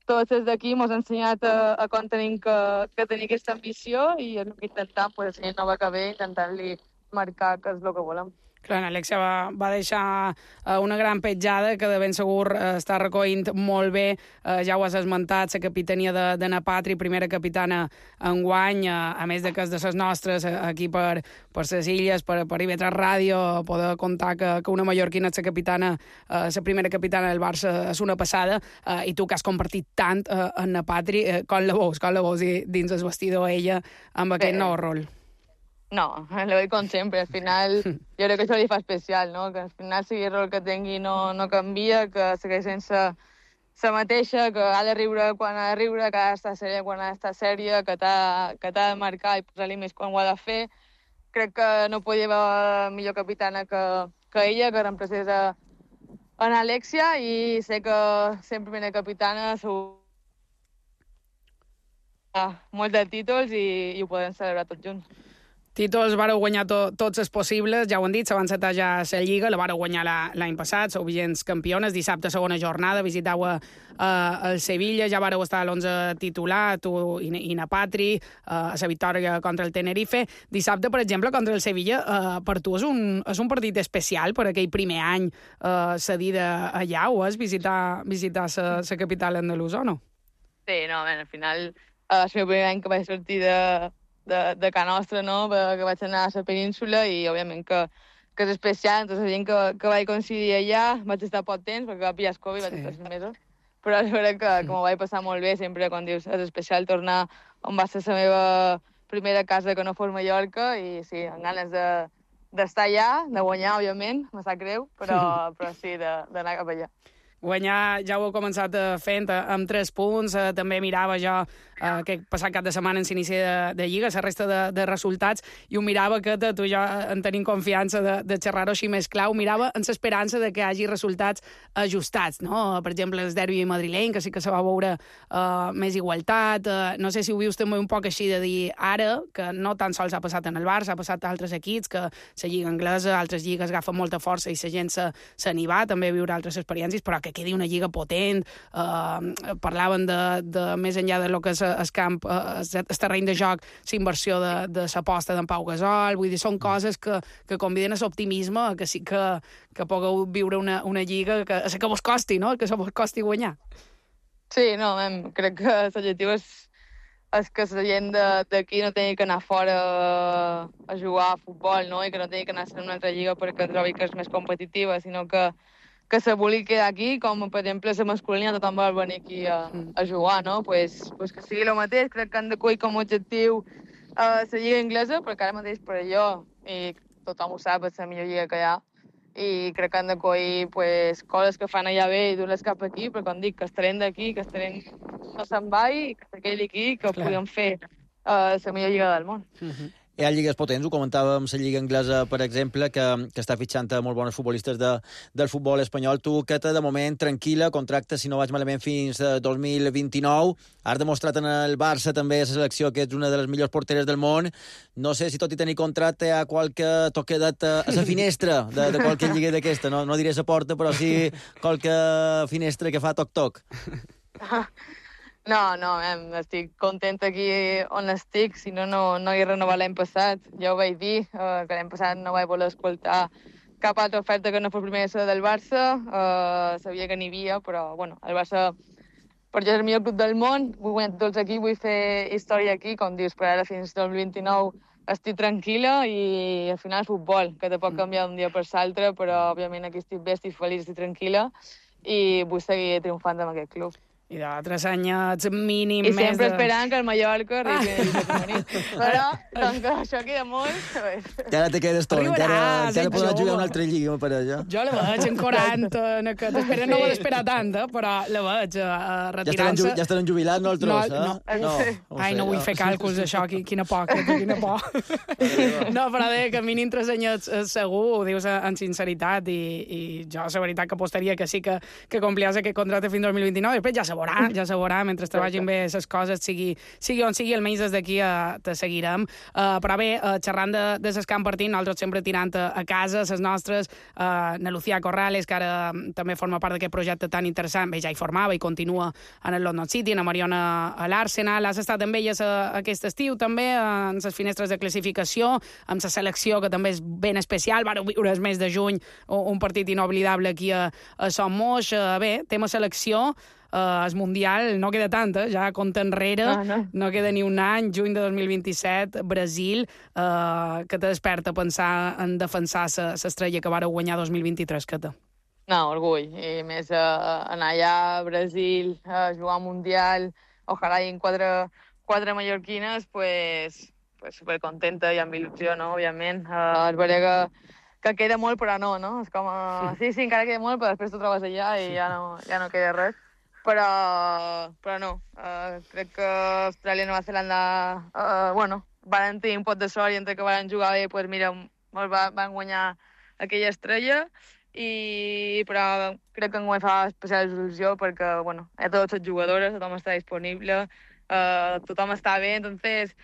tots des d'aquí ens han ensenyat a, a com tenim que, que tenir aquesta ambició i és el que intentem, pues, la nova que ve, intentant-li marcar que és el que volem. Clar, Alexia va, va deixar uh, una gran petjada que de ben segur uh, està recollint molt bé. Uh, ja ho has esmentat, la capitania de, de Na Patri, primera capitana enguany, uh, a més de que és de les nostres, uh, aquí per, per les illes, per, per I V tres Ràdio, poder contar que, que una mallorquina és la capitana, uh, la primera capitana del Barça és una passada, uh, i tu que has compartit tant uh, en Na Patri, uh, com la veus, com la veus dins el vestidor ella amb aquest nou rol? No, lo veig com sempre. Al final, jo crec que això li fa especial, no? Que al final sigui el rol que tingui no, no canvia, que segueix sense la mateixa, que ha de riure quan ha de riure, que ha d'estar sèria quan ha d'estar sèria, que t'ha de marcar i posar-li més quan ho ha de fer. Crec que no podia haver millor capitana que, que ella, que reemplacés a, a Alexia, i sé que sempre primera capitana segur molts de títols i, i ho podem celebrar tots junts. Títols vareu guanyar to, tots els possibles, ja ho han dit, s'avança ja a la Lliga, la vareu guanyar l'any passat, sou vigents campiones, dissabte segona jornada, visitau a, a, el Sevilla, ja vareu estar a l'onze titular, tu i, i na Patri, a la victòria contra el Tenerife. Dissabte, per exemple, contra el Sevilla, uh, per tu és un, és un partit especial per aquell primer any uh, cedida allà, o és visitar, visitar la capital andalusa, o no? Sí, no, ben, al final, uh, és el primer any que vaig sortir de... de, de Can Nostra, no?, que vaig anar a la península i, òbviament, que, que és especial. Entonces, la gent que, que vaig coincidir allà, vaig estar poc temps, perquè va pillar el Covid, sí. Vaig estar sis mesos, però és veritat que, que m'ho vaig passar molt bé, sempre quan dius és especial tornar on va ser la meva primera casa que no fos Mallorca, i sí, amb ganes de d'estar allà, de guanyar, òbviament, me sap greu, però, però sí, d'anar cap allà. Guanyar ja ho he començat fent amb tres punts. Eh, també mirava jo eh, que passat cap de setmana en l'inici de, de Lliga, la resta de, de resultats, i ho mirava que tu i jo en tenim confiança de, de xerrar-ho així més clau. Mirava en l'esperança de que hi hagi resultats ajustats, no? Per exemple, el derbi madrileny, que sí que se va veure eh, més igualtat. Eh, no sé si ho vius també un poc així de dir ara, que no tan sols ha passat en el Barça, ha passat a altres equips, que la Lliga anglesa, altres lligues agafen molta força i la gent se, se n'hi va, també a viure altres experiències, però que quedi una lliga potent, eh, parlaven de, de més enllà de lo que és el camp, eh, el terreny de joc, la inversió de, de l'aposta d'en Pau Gasol, vull dir, són coses que, que conviden a l'optimisme, que sí que, que pugueu viure una, una lliga que, que vos costi, no?, que se vos costi guanyar. Sí, no, em, crec que l'objectiu és, és que la gent d'aquí no tingui que anar fora a jugar a futbol, no?, i que no tingui que anar a una altra lliga perquè trobi que és més competitiva, sinó que que se vulgui quedar aquí, com per exemple la masculina, tothom vol venir aquí a, a jugar, no? Pues, pues que sigui el mateix. Crec que han de coir com a objectiu uh, la lliga anglesa, perquè ara mateix per allò, i tothom ho sap, és la millor lliga que hi ha, i crec que han de coir pues, coses que fan allà bé i dur-les cap aquí, però com dic, que el talent d'aquí, que el talent no se'n va i que se quedi aquí, que ho podem fer uh, la millor lliga del món. Uh-huh. Hi ha lligues potents, ho comentàvem, la Lliga Anglesa, per exemple, que, que està fitxant a molt bons futbolistes de, del futbol espanyol. Tu, Queta, de moment, tranquil·la, contracte, si no vaig malament, fins a dos mil vint-i-nou. Has demostrat en el Barça també a la selecció que ets una de les millors porteres del món. No sé si tot i tenir contracte hi ha qualque t'ho quedat a la finestra de, de qualque lliga d'aquesta. No, no diré la porta, però sí qualque finestra que fa toc-toc. No, no, em, estic contenta aquí on estic, si no, no, no hi he renovat l'any passat. Ja ho vaig dir, eh, que l'any passat no vaig voler escoltar cap altra oferta que no fos primer ser del Barça. Eh, sabia que n'hi havia, però, bueno, el Barça, per jo és el millor club del món, vull guanyar tots aquí, vull fer història aquí, com dius, per ara fins al dos mil vint-i-nou estic tranquil·la i al final és futbol, que te pot canviar d'un dia per l'altre, però, òbviament, aquí estic bé, estic feliç, estic tranquil·la i vull seguir triomfant amb aquest club. I d'altres anyets mínim I més... I sempre de... esperant que el Mallorca arribi ah. a femení. Però, com que això queda molt... Encara te quedes tot, encara, encara podràs jugar una altra lliga per allà. Jo la veig en quaranta, en aquest... Espera, no vol esperar tant, eh? Però la veig uh, retirant-se... Ja estaran jubilats, no, el tros, no, eh? No, no. Ai, no vull fer càlculs d'això, quina por, quina por. No, però deia que a mínim tres anyets segur, ho dius en sinceritat, i, i jo la veritat que apostaria que sí que, que compliàs aquest contracte fins al dos mil vint-i-nou, i després ja se veurà, ja se veurà, mentre te vagin bé les coses, sigui, sigui on sigui, almenys des d'aquí uh, te seguirem. Uh, però bé, uh, xerrant de, de ses camp partint, nosaltres sempre tirant a, a casa, les nostres, uh, na Lucía Corrales, que ara um, també forma part d'aquest projecte tan interessant, bé, ja hi formava i continua en el London City, na Mariona a l'Arsenal, has estat amb elles uh, aquest estiu també, uh, en les finestres de classificació, amb la selecció, que també és ben especial, vareu viure el mes de juny, un partit inoblidable aquí a, a Son Moix. Uh, bé, tema selecció, Uh, el Mundial no queda tant, eh? Ja compta enrere, ah, no. no queda ni un any, juny de dos mil vint-i-set, Brasil, uh, que te desperta a pensar en defensar l'estrella que vareu guanyar dos mil vint-i-tres, Cata. No, orgull, i més uh, anar allà a Brasil, a uh, jugar al Mundial, ojalà hi quatre, quatre mallorquines, pues, pues supercontenta i amb il·lusió, no?, òbviament. Uh, es veurà que, que queda molt, però no, no? És com, uh, sí, sí, encara queda molt, però després t'ho trobes allà i ja no, ja no queda res. Però, però no, uh, crec que Austràlia i Nova Zelanda, uh, bueno, van tenir un pot de sort i entre que van jugar bé, pues mira, va, van guanyar aquella estrella, i, però crec que enguany fa especial il·lusió perquè, bueno, hi ha totes les jugadores, tothom està disponible, uh, tothom està bé, entonces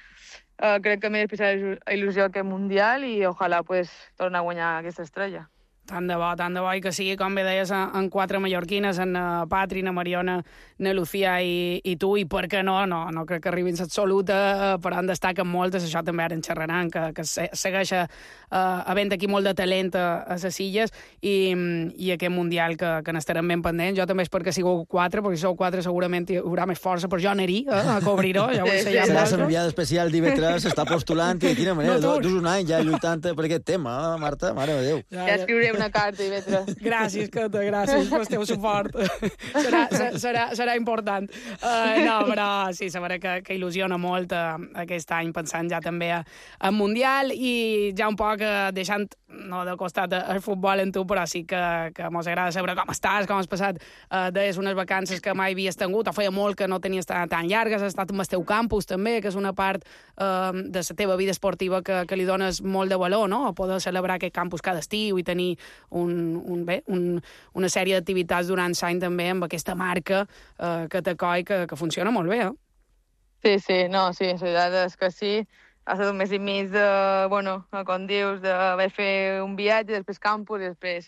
uh, crec que m'he d'explicar il·lusió aquest Mundial i ojalà pues, tornar a guanyar aquesta estrella. Tant de bo, tant de bo, i que sigui, com bé deies, en quatre mallorquines, en uh, Patri, na Mariona, na Lucía i, i tu, i per què no? No, no crec que arribin l'absoluta, uh, però en destaquen moltes, això també ara en xerraran, que, que se, segueix uh, havent aquí molt de talent a, a les illes, i, i aquest Mundial que, que n'estarem ben pendents. Jo també espero que sigueu quatre, perquè si sou quatre segurament hi haurà més força, però jo aniré eh, a cobrir-ho, ja ho sé. Sí, ja serà l'enviada especial d'I V tres, s'està postulant, i de quina manera, no, dus un any ja lluitant per aquest tema, eh, Marta, mare de Déu. Ja, ja escriuré una carta, I V tres. Gràcies, Cata, gràcies pel teu suport. serà, serà, serà important. Uh, no, però sí, sabrà que, que il·lusiona molt uh, aquest any, pensant ja també en Mundial, i ja un poc uh, deixant, no de costat el futbol en tu, però sí que, que mos agrada saber com estàs, com has passat uh, des unes vacances que mai havies tingut, o feia molt que no tenies tan, tan llargues, has estat amb el teu campus també, que és una part uh, de la teva vida esportiva que, que li dones molt de valor, no? A poder celebrar aquest campus cada estiu i tenir un, un, bé, un, una sèrie d'activitats durant l'any també amb aquesta marca uh, que t'acoi, que, que funciona molt bé, eh? Sí, sí, no, sí, la veritat és que sí. Ha estat un mes i mig de, bueno, com dius, d'haver fet un viatge, després campus, i després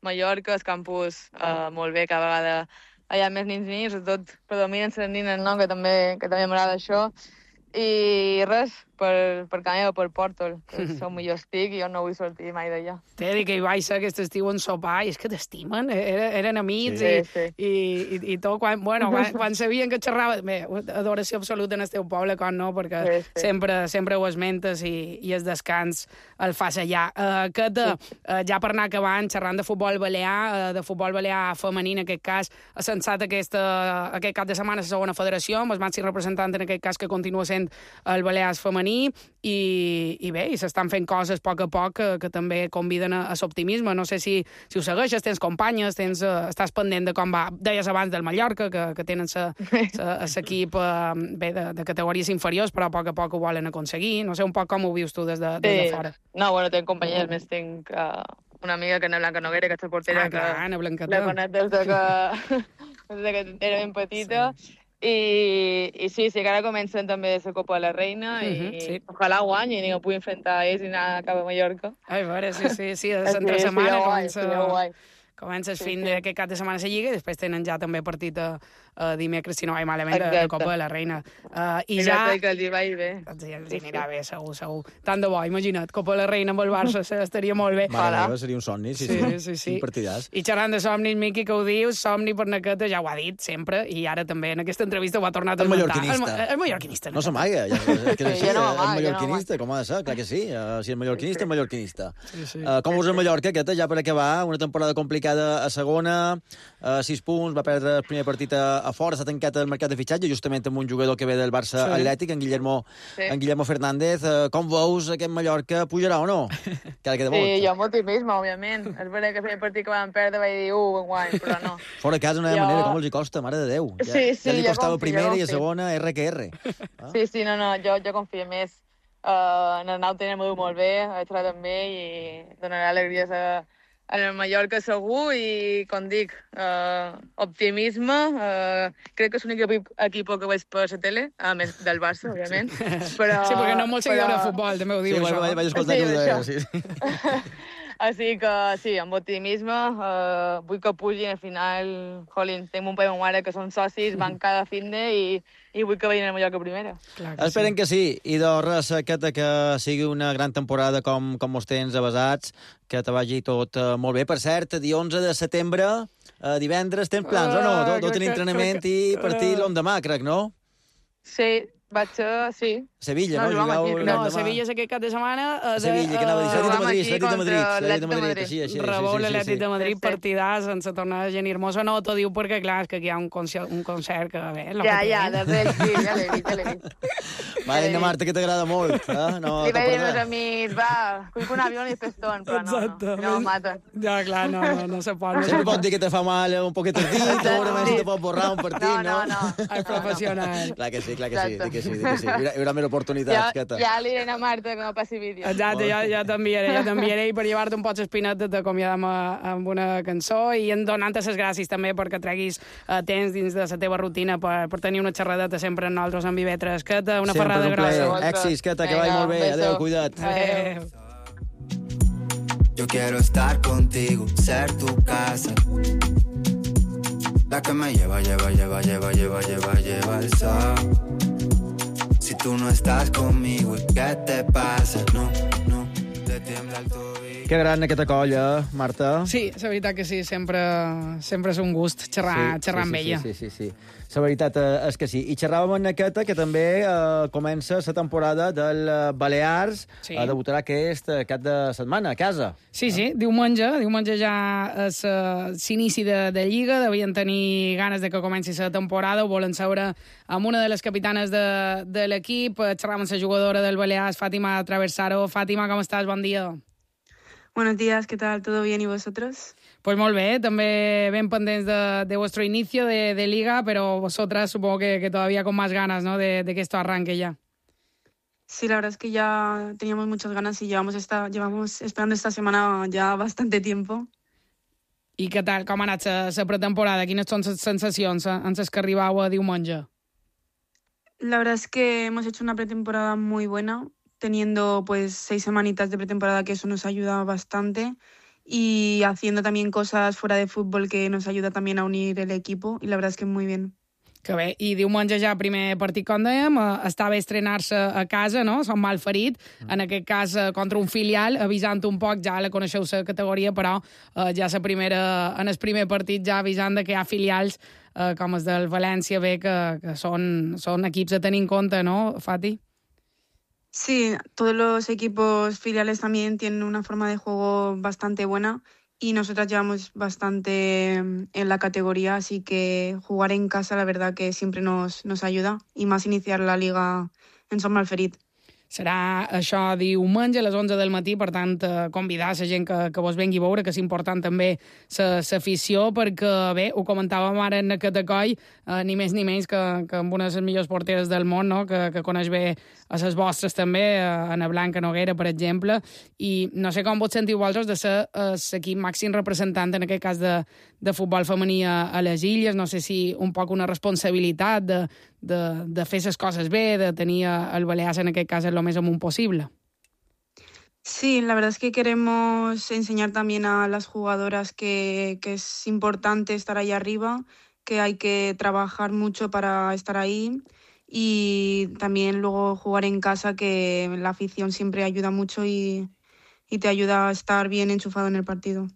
Mallorca, el campus eh, molt bé, cada vegada hi ha més nins i nins, sobretot predominen les nines, no?, que també, que també m'agrada això. I res, per, per Canella o per Pòrtol, que és on millor estic i jo no vull sortir mai d'allà. T'he de dir que hi vaig ser aquest estiu en sopar i és que t'estimen, eren, eren amics sí, i, sí. I, i, i tot, quan, bueno, quan, quan sabien que xerrava, bé, adoració absoluta en el teu poble, com no, perquè sí, sí. Sempre, sempre ho esmentes i, i el descans el fas allà. Uh, que de, uh, ja per anar acabant, xerrant de futbol balear, uh, de futbol balear femení en aquest cas, ha censat aquesta, aquest cap de setmana la segona federació, amb el màxim representant en aquest cas que continua sent el Balears femení, i, i bé, i s'estan fent coses a poc a poc que, que també conviden a, a l'optimisme. No sé si, si ho segueixes, tens companyes, tens, uh, estàs pendent de com va, deies abans del Mallorca, que, que tenen l'equip uh, bé, de, de categories inferiors, però a poc a poc ho volen aconseguir. No sé un poc com ho vius tu des de, des de sí. fora. No, bueno, tinc companyes, més tinc uh, una amiga que és Ana Blanca Noguera, que és la portera, ah, clar, Ana Blancata. La conec des de que, des de que era ben petita. Sí. I, i sí, sí, que ara comencen també la Copa de la Reina i uh -huh, sí. Ojalà guanyin i no pugui enfrontar a ells i anar cap a Mallorca. Ai, a veure, sí, sí, sí, de l'entre sí, setmana sí, comença, guai, comença el sí, fin sí. d'aquest cap de setmana a la Lliga i després tenen ja també partit a, a dimecres, si no vaig malament, de la Copa de la Reina. Uh, I Exacte, ja... que els hi va bé. Els hi, els hi anirà bé, segur, segur. Tant de bo, imagina't, Copa de la Reina amb el Barça estaria molt bé. Mare meva, seria un somni, sí, sí. sí, sí, sí. Un partidàs. I xerrant de somnis, Miqui, que ho dius, somni per Naqueta, ja ho ha dit sempre, i ara també en aquesta entrevista ho ha tornat a el esmentar. Mallorquinista. El, el mallorquinista. No s'amaga, ja, és que és així, sí, no el mallorquinista, com ha de ser, clar que sí. Uh, si és mallorquinista, és mallorquinista. Sí, sí. Uh, com us el Mallorca, aquesta, ja per acabar, una temporada complicada a segona, uh, sis punts, va perdre el primer partit a, a fora, s'ha tancat el mercat de fitxatge, justament amb un jugador que ve del Barça sí. Atlètic, en Guillermo, sí. en Guillermo Fernández. Uh, com veus aquest Mallorca pujarà o no? Que queda molt. Sí, jo amb optimisme, òbviament. És veritat que el primer partit que vam perdre vaig dir, uh, guany, però no. Fora de casa no hi ha jo... manera, com els hi costa, mare de Déu. Ja, sí, sí, ja li costava confio, primera i a segona R que R. Ah? Sí, sí, no, no, jo, jo confio més. Uh, en el Nau tenim molt bé, ha entrat amb ell i donarà alegries a, a el Mallorca segur i, com dic, uh, optimisme. Uh, crec que és l'únic equip, equip que veig per la tele, a més del Barça, òbviament. Però, sí, perquè no molt seguidor però... de futbol, també ho diu, sí, això. Sí, vaig escoltar sí, això. Sí. Així que, sí, amb optimisme, uh, vull que pugin, al final, jolín, tinc un pare i una mare que són socis, van cada finde i, i vull que vagin a Mallorca primera. Clar que Esperen sí. que sí, i de res aquesta que sigui una gran temporada com, com els tens avasats, que te vagi tot uh, molt bé. Per cert, dia onze de setembre, uh, divendres, tens plans uh, o no? Deu tenir entrenament que, i partit uh, l'endemà, crec, no? Sí, vaig ser, sí. Sevilla, no? No, no Sevilla és aquest cap de setmana. Uh, Sevilla, que anava a dir, l'Atlètic de Madrid, l'Atlètic de Madrid, l'Atlètic de Madrid, sí, així. Rebou l'Atlètic de Madrid, partidàs, sense tornar a Geni Hermoso. No, t'ho diu perquè, clar, és que aquí hi ha un concert, un concert que, bé, lo ja, ja, de res, sí, ja l'he vist, ja l'he vist. Va, Anna Marta, que t'agrada molt, eh? No, li vaig dir als meus amics, va, cuico un avió i pestón, però no, no, no me maten. Ja, clar, no, no, no se pot. Sempre pot dir que te fa mal un poquet el dit, segurament te pot borrar un partit, no? No, no, no. És professional. Clar que sí, clar que sí, que sí, que sí. Hi haurà més oportunitats, ja, ja li diré a Marta que me passi vídeo. Exacte, ja, ja t'enviaré, ja t'enviaré per llevar-te un poc espinat de t'acomiadar amb una cançó i en donant-te les gràcies també perquè treguis uh, temps dins de la teva rutina per, per tenir una xerradeta sempre amb nosaltres amb I V tres. Que una sempre, xerrada grossa. Èxits, que que vagi molt bé. Adéu, cuida't. Adéu. Yo quiero estar contigo, ser tu casa. La que me lleva, lleva, lleva, lleva, lleva, lleva, lleva el sol. Si tú no estás conmigo, ¿qué te pasa? No, no, te tiembla el tobillo. Que gran aquesta colla, Marta. Sí, la veritat que sí, sempre, sempre és un gust xerrar, sí, xerrar sí, amb sí, ella. Sí, sí, sí, sí. La veritat és que sí. I xerràvem amb aquesta, que també eh, comença la temporada del Balears. Sí. Eh, debutarà aquest cap de setmana, a casa. Sí, sí, diumenge. Diumenge ja és uh, s'inici de, de Lliga. Devien tenir ganes de que comenci la temporada. Ho volen saber amb una de les capitanes de, de l'equip. Xerràvem amb la jugadora del Balears, Fàtima Traversaro. Fàtima, com estàs? Bon dia. Buenos días, ¿qué tal? ¿Todo bien y vosotros? Pues molt bé, també ben pendents de, de vuestro inicio de, de Liga, pero vosotras supongo que, que todavía con más ganas, ¿no?, de, de que esto arranque ya. Sí, la verdad es que ya teníamos muchas ganas y llevamos, esta, llevamos esperando esta semana ya bastante tiempo. I què tal, com ha anat la pretemporada? Quines són les sensacions en les que arribau a diumenge? La verdad es que hemos hecho una pretemporada muy buena, teniendo pues seis semanitas de pretemporada, que eso nos ayuda bastante, y haciendo también cosas fuera de fútbol que nos ayuda también a unir el equipo, y la verdad es que muy bien. Que bé, i diumenge ja primer partit, com dèiem, estava estrenar-se a casa, no? Som mal ferit, en aquest cas contra un filial, avisant un poc, ja la coneixeu la categoria, però eh, ja la primera, en el primer partit ja avisant de que hi ha filials eh, com els del València, bé, que, que són, són equips a tenir en compte, no, Fati? Sí, todos los equipos filiales también tienen una forma de juego bastante buena y nosotras llevamos bastante en la categoría, así que jugar en casa la verdad que siempre nos, nos ayuda, y más iniciar la liga en Son Malferit. Serà això diumenge a les onze del matí, per tant, eh, convidar la gent que, que vos vengui a veure, que és important també l'afició, perquè, bé, ho comentàvem ara en aquest coll, eh, ni més ni menys que, que amb una de les millors porteres del món, no?, que, que coneix bé a les vostres també, a Ana Blanca Noguera, per exemple, i no sé com vos sentiu vosaltres de ser l'equip màxim representant, en aquest cas de, de futbol femení a, a les Illes, no sé si un poc una responsabilitat de, de, de fer les coses bé, de tenir el Balears en aquest cas lo més amunt posible. Sí, la verdad es que queremos enseñar también a las jugadoras que, que es importante estar ahí arriba, que hay que trabajar mucho para estar ahí, y también luego jugar en casa, que la afición siempre ayuda mucho y, y te ayuda a estar bien enchufado en el partido.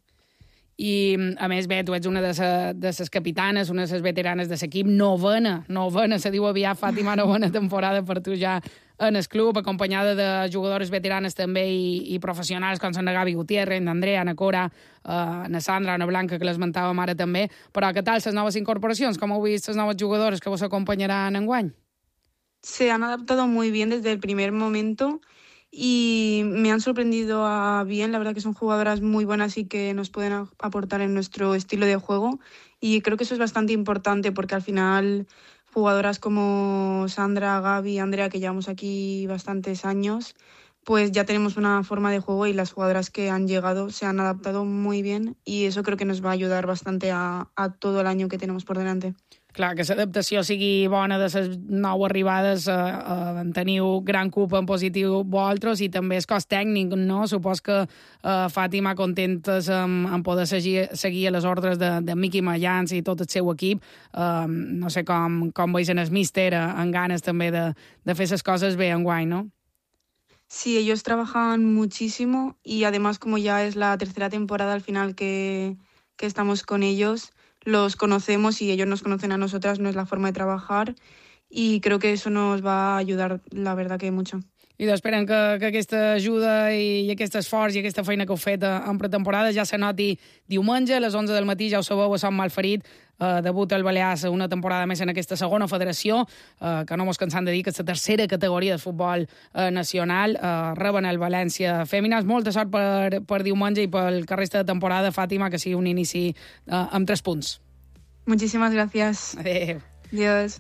I, a més, bé, tu ets una de les capitanes, una de les veteranes de l'equip, novena, novena, se diu aviat, Fàtima, novena temporada per tu ja en el club, acompanyada de jugadores veteranes també i, i professionals com són la Gavi Gutiérrez, l'Andrea, Ana Cora, eh, la Sandra, Ana Blanca, que l'esmentàvem ara també. Però què tal les noves incorporacions? Com heu vist les noves jugadores que vos acompanyaran enguany? Se han adaptado muy bien desde el primer momento y me han sorprendido a bien. La verdad que son jugadoras muy buenas y que nos pueden aportar en nuestro estilo de juego, y creo que eso es bastante importante, porque al final jugadoras como Sandra, Gaby, Andrea, que llevamos aquí bastantes años, pues ya tenemos una forma de juego, y las jugadoras que han llegado se han adaptado muy bien, y eso creo que nos va a ayudar bastante a, a todo el año que tenemos por delante. Clar, que l'adaptació sigui bona de les nou arribades, eh, eh, teniu gran culpa en positiu vosaltres, i també és cos tècnic, no? Supos que eh, Fàtima, contentes en, en poder seguir, seguir les ordres de, de Miqui Mayans i tot el seu equip. Eh, no sé com, com veus en el míster, en ganes també de, de fer les coses bé enguany, no? Sí, ellos trabajan muchísimo, y además, como ya es la tercera temporada al final que, que estamos con ellos, los conocemos y ellos nos conocen a nosotras, no es la forma de trabajar, y creo que eso nos va a ayudar, la verdad que mucho. I esperen que, que aquesta ajuda i, i aquest esforç i aquesta feina que heu fet en pretemporada ja se noti diumenge a les onze del matí, ja ho sabeu, a Sant Malferit, eh, debuta el Balears una temporada més en aquesta segona federació, eh, que no mos cansem de dir que és la tercera categoria de futbol eh, nacional, eh, reben el València Fèmines. Molta sort per, per diumenge i pel que resta de temporada, Fàtima, que sigui un inici eh, amb tres punts. Muchísimas gracias. Adéu. Adiós.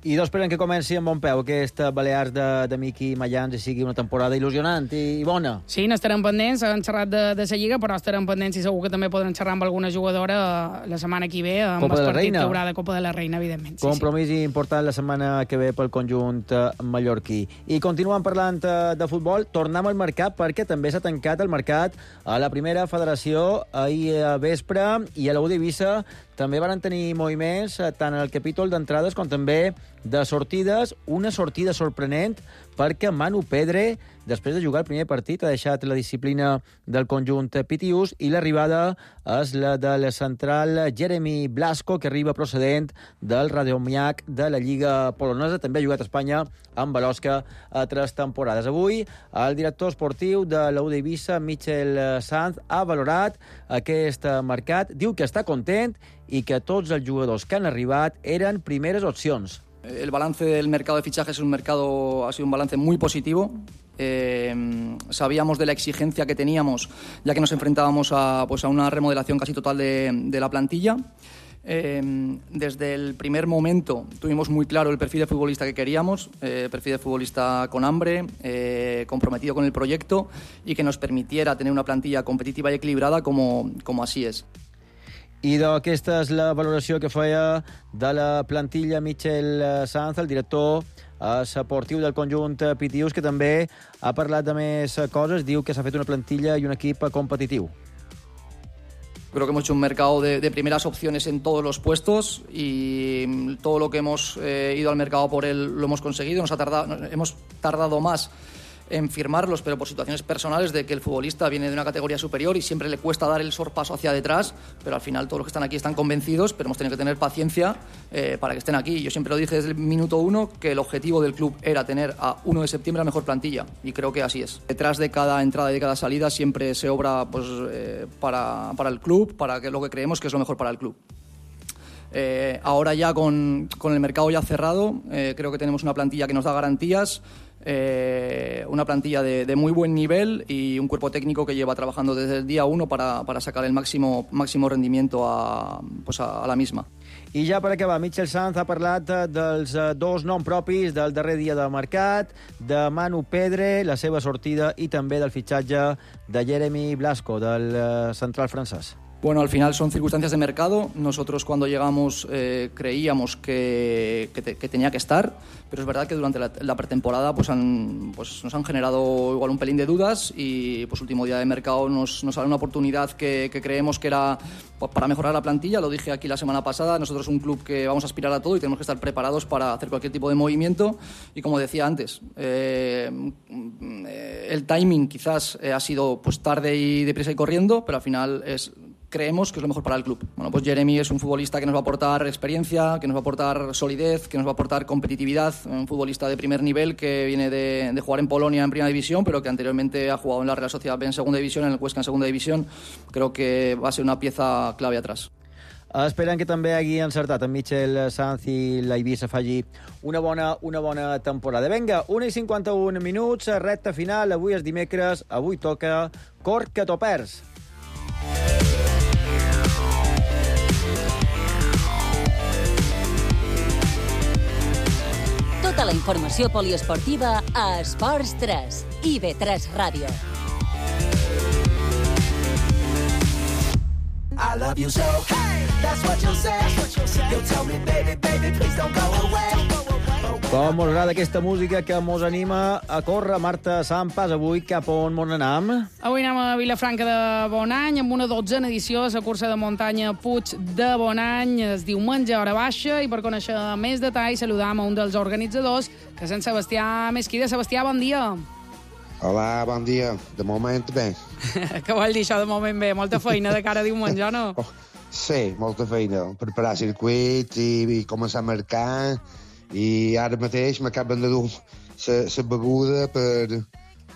I dos esperen que comenci amb bon peu aquesta Balears de, de Miqui Mayans i sigui una temporada il·lusionant i, i bona. Sí, n'estarem pendents, han xerrat de, de la Lliga, però estarem pendents i segur que també podran xerrar amb alguna jugadora la setmana que ve, amb Copa el de la partit Reina. que haurà de Copa de la Reina, evidentment. Sí, Compromís sí. important la setmana que ve pel conjunt mallorquí. I continuem parlant de futbol, tornem al mercat perquè també s'ha tancat el mercat a la primera federació ahir a vespre i a la U d'Eivissa també van tenir moviments tant en el capítol d'entrades com també de sortides. Una sortida sorprenent perquè Manu Pedre, després de jugar el primer partit, ha deixat la disciplina del conjunt Pitius i l'arribada és la del central Jeremy Blasco, que arriba procedent del Radomiak de la Lliga polonesa. També ha jugat a Espanya amb Balosca a tres temporades. Avui, el director esportiu de la U d'Eivissa, Michel Sanz, ha valorat aquest mercat. Diu que està content i que tots els jugadors que han arribat eren primeres opcions. El balance del mercado de fichajes es un mercado, ha sido un balance muy positivo. Eh, sabíamos de la exigencia que teníamos, ya que nos enfrentábamos a, pues, a una remodelación casi total de, de la plantilla. Eh, desde el primer momento tuvimos muy claro el perfil de futbolista que queríamos, eh, perfil de futbolista con hambre, eh, comprometido con el proyecto y que nos permitiera tener una plantilla competitiva y equilibrada como, como así es. I aquesta és la valoració que feia de la plantilla Michel Sanz, el director esportiu del conjunt Pitius, que també ha parlat de més coses. Diu que s'ha fet una plantilla i un equip competitiu. Creo que hemos hecho un mercado de, de primeras opciones en todos los puestos y todo lo que hemos eh, ido al mercado por él lo hemos conseguido. Nos ha tardado, hemos tardado más en firmarlos, pero por situaciones personales de que el futbolista viene de una categoría superior y siempre le cuesta dar el sorpaso hacia detrás, pero al final todos los que están aquí están convencidos, pero hemos tenido que tener paciencia eh, para que estén aquí. Yo siempre lo dije desde el minuto uno que el objetivo del club era tener a uno de septiembre la mejor plantilla y creo que así es. Detrás de cada entrada y de cada salida siempre se obra pues, eh, para, para el club, para que lo que creemos que es lo mejor para el club. Eh, ahora ya con, con el mercado ya cerrado, eh, creo que tenemos una plantilla que nos da garantías, eh, una plantilla de, de muy buen nivel y un cuerpo técnico que lleva trabajando desde el día uno para, para sacar el máximo, máximo rendimiento a, pues a, a la misma. I ja per acabar, Michel Sanz ha parlat dels dos noms propis del darrer dia de mercat, de Manu Pedre, la seva sortida, i també del fitxatge de Jeremy Blasco, del central francès. Bueno, al final son circunstancias de mercado. Nosotros cuando llegamos eh, creíamos que, que, te, que tenía que estar, pero es verdad que durante la, la pretemporada pues han, pues nos han generado igual un pelín de dudas y pues último día de mercado nos, nos sale una oportunidad que, que creemos que era pues, para mejorar la plantilla. Lo dije aquí la semana pasada, nosotros un club que vamos a aspirar a todo y tenemos que estar preparados para hacer cualquier tipo de movimiento y como decía antes, eh, el timing quizás eh, ha sido pues tarde y deprisa y corriendo, pero al final es... creemos que es lo mejor para el club. Bueno, pues Jeremy es un futbolista que nos va a aportar experiencia, que nos va a aportar solidez, que nos va a aportar competitividad, un futbolista de primer nivel que viene de, de jugar en Polonia en primera división, pero que anteriormente ha jugado en la Real Sociedad B en segunda división, en el Huesca en segunda división. Creo que va a ser una pieza clave atrás. Esperem que també hagi encertat en Michel Sanz i l'Eivissa faci una bona, una bona temporada. Vinga, una i cinquanta-un minuts, recta final, avui és dimecres, avui toca Cor que t'ho perds. Tota la informació poliesportiva a Esports tres i B tres Ràdio. I love you so, hey, that's what you'll say. You'll tell me, baby, baby, please don't go away. Com us agrada aquesta música que mos anima a córrer? Marta Sampas, avui cap on mos anam? Avui anem a Vilafranca de Bonany amb una dotzena edició de la cursa de muntanya Puig de Bonany. Es diumenge a hora baixa i per conèixer més detalls saludam a un dels organitzadors, que és en Sebastià Mesquida. Sebastià, bon dia. Hola, bon dia. De moment, bé. Què vol dir això de moment bé? Molta feina de cara a diumenge, o no? Oh, sí, molta feina. Preparar circuits i, i començar a marcar. I ara mateix m'acaben de dur la beguda per,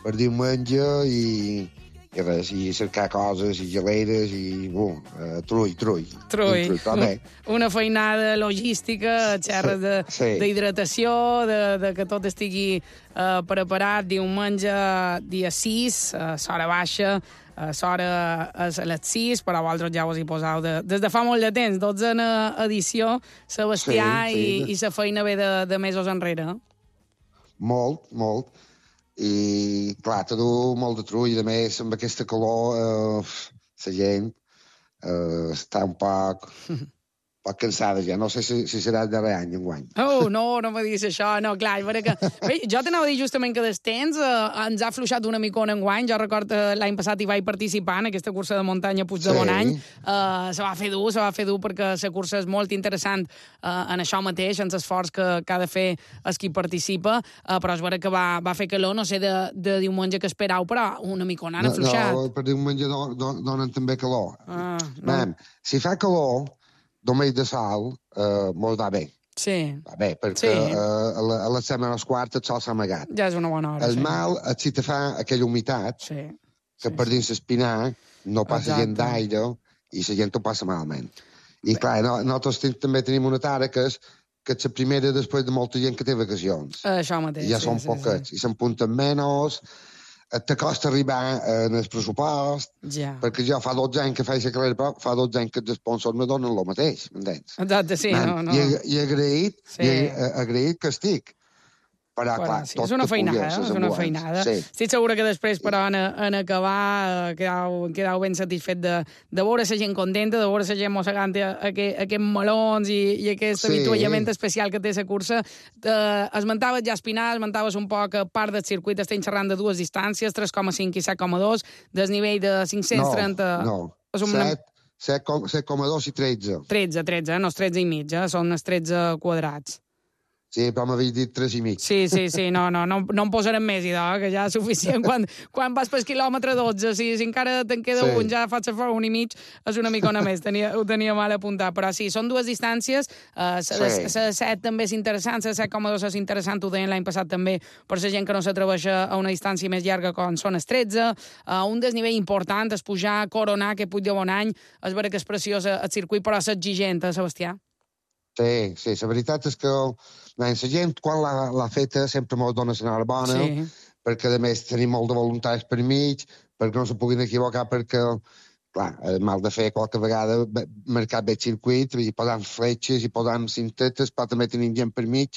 per diumenge i, i res, i cercar coses i geleres i uh, uh, trull, trull. Trull. trull una, una feinada logística, xerres de, sí. d'hidratació, de, de que tot estigui uh, preparat diumenge dia sis, a uh, Sora Baixa, L'hora és a les sis, però vosaltres ja us hi poseu de, des de fa molt de temps, dotzena edició, Sebastià, sí, sí. i, i la feina ve de, de mesos enrere. Molt, molt. I, clar, te du molt de trull, i a més, amb aquesta calor, eh, la gent eh, està un poc... poc cansada ja, no sé si, si serà el darrer any, enguany. Oh, no, no me diguis això, no, clar, perquè... Bé, jo t'anava a dir justament que des temps eh, ens ha afluixat una micona enguany, jo recordo eh, l'any passat hi vaig participar en aquesta cursa de muntanya Puig de sí. Bonany, eh, se va fer dur, se va fer dur perquè la cursa és molt interessant eh, en això mateix, en l'esforç que, que ha de fer el qui participa, eh, però és vera que va, va fer calor, no sé, de, de diumenge que esperau, però una micona han afluixat. No, no per diumenge do, do, donen també calor. Ah, no. Mem, si fa calor, domell de sol, eh, molt va bé. Sí. Va bé, perquè sí. eh, a, la, a les setmanes quartes el sol s'ha amagat. Ja és una bona hora. El sí. mal és si te fa aquella humitat, sí. que sí, per dins l'espinar no passa Exacte. gent d'aire i la gent ho passa malament. I bé. Clar, no, nosaltres també tenim una tara que és que és la primera després de molta gent que té vacacions. Això mateix, I ja sí, són sí, poquets, sí. i s'empunten menys, te costa arribar en el pressupost, ja. perquè jo fa dotze anys que faig la carrera, però fa dotze anys que els sponsors me donen el mateix, m'entens? Exacte, sí, Man, no, no. I, i agraït, sí. i agraït que estic. Però, però, clar, sí, tot és una feinada, és una feinada. Sí. Estic segura que després, però, en, en acabar, quedau, quedau ben satisfet de, de veure la gent contenta, de veure la gent mossegant aquests aquest melons i, i aquest sí. avituallament especial que té la cursa. Eh, esmentaves ja Espinar, esmentaves un poc a part del circuit, estem xerrant de dues distàncies, tres coma cinc i set coma dos, desnivell de cinc-cents trenta... No, no, una... set coma dos i tretze. tretze, tretze, no és tretze i mig, eh? Són els tretze quadrats. Sí, però m'havies dit tres i mig. Sí, sí, sí, no, no, no, no em posarem més, idò, que ja és suficient. Quan, quan vas pel quilòmetre dotze, si, si encara te'n queda sí. un, ja faig a un i mig, és una micona més, tenia, ho tenia mal apuntat. Però sí, són dues distàncies, la uh, sí. set també és interessant, la set coma dos és interessant, ho deien l'any passat també, per la gent que no s'atreveix a una distància més llarga com són els tretze, uh, un desnivell important és pujar, coronar, que Puig de Bonany, és vera que és preciós el circuit, però és exigent, eh, Sebastià? Sí, sí, la veritat és que la gent, quan l'ha feta, sempre m'ho dona l'enhorabona, sí. perquè, a més, tenim molt de voluntaris per mig, perquè no se puguin equivocar, perquè, clar, mal de fer qualque vegada marcar bé el circuit, i posant fletxes, i posant cintetes, però també tenim gent per mig,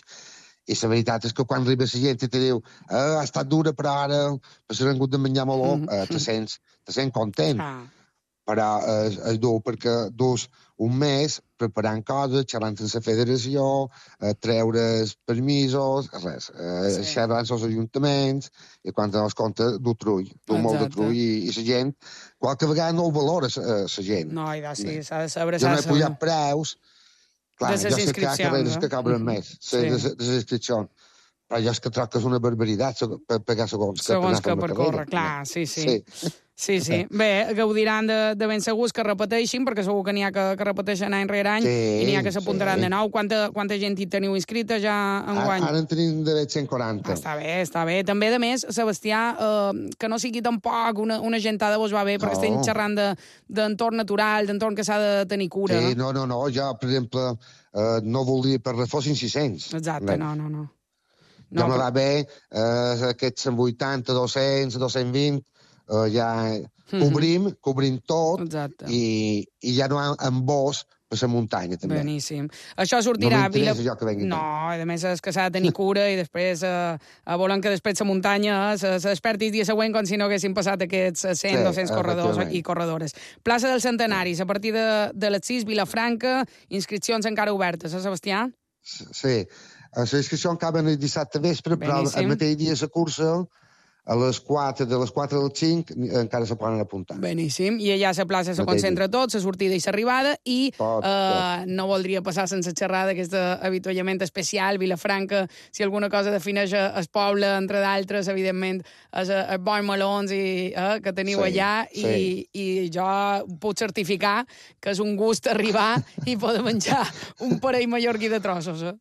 i la veritat és que quan arriba la gent i te diu eh, ha estat dura, però ara s'han hagut de menjar meló, mm -hmm. eh, te sents, te sents content. Ah. Però és, és dur perquè dus un mes preparant coses, xerrant amb la federació, eh, treure's permisos, res, eh, sí. xerrant amb els ajuntaments, i quan te n'has compte, du trull, du molt de trull, i, i la gent, qualque vegada no ho valora, la gent. No, i da, sí, s'ha de saber... Jo no he pujat preus, clar, de jo sé que hi ha carreres eh? que cobren mm -hmm. més, sí. de, de les inscripcions, però jo és que troc que és una barbaritat per pegar segons que segons que percorre, clar, sí, sí. sí. Sí, sí. Bé, gaudiran de, de ben segurs que repeteixin, perquè segur que n'hi ha que, que repeteixen any rere any, sí, i n'hi ha que s'apuntaran sí. de nou. Quanta, quanta gent hi teniu inscrita ja en guany? Ara en tenim de cent quaranta. Ah, està bé, està bé. També, de més, Sebastià, eh, que no sigui tampoc una, una gentada vos va bé, perquè no. estem xerrant d'entorn de, natural, d'entorn que s'ha de tenir cura. Sí, no, no, no. Jo, per exemple, eh, no voldria per res fossin sis-cents. Exacte, no, no, no. no ja me va bé eh, aquests cent vuitanta, dos-cents, dos-cents vint, Uh, ja cobrim, mm -hmm. cobrim tot i, i ja no ha embós per la muntanya, també. Beníssim. Això sortirà... No m'interessa Vila... jo que vengui. No, a més és que s'ha de tenir cura i després eh, volen que després la muntanya se, se desperti el dia següent com si no haguessin passat aquests cent, sí, dos-cents corredors i corredores. Plaça del Centenaris, a partir de, de les sis, Vilafranca, inscripcions encara obertes, eh, Sebastià? Sí, les inscripcions acaben el dissabte vespre, Beníssim. Però el mateix dia la cursa... a les quatre, de les quatre al cinc, encara se poden apuntar. Beníssim. I allà a la plaça se concentra tot, la sortida i l'arribada, i tot, eh, tot. no voldria passar sense xerrar d'aquest avituallament especial, Vilafranca, si alguna cosa defineix el poble, entre d'altres, evidentment, és els bons melons i, eh, que teniu sí, allà, sí. i, i jo puc certificar que és un gust arribar i poder menjar un parell mallorquí de trossos, eh?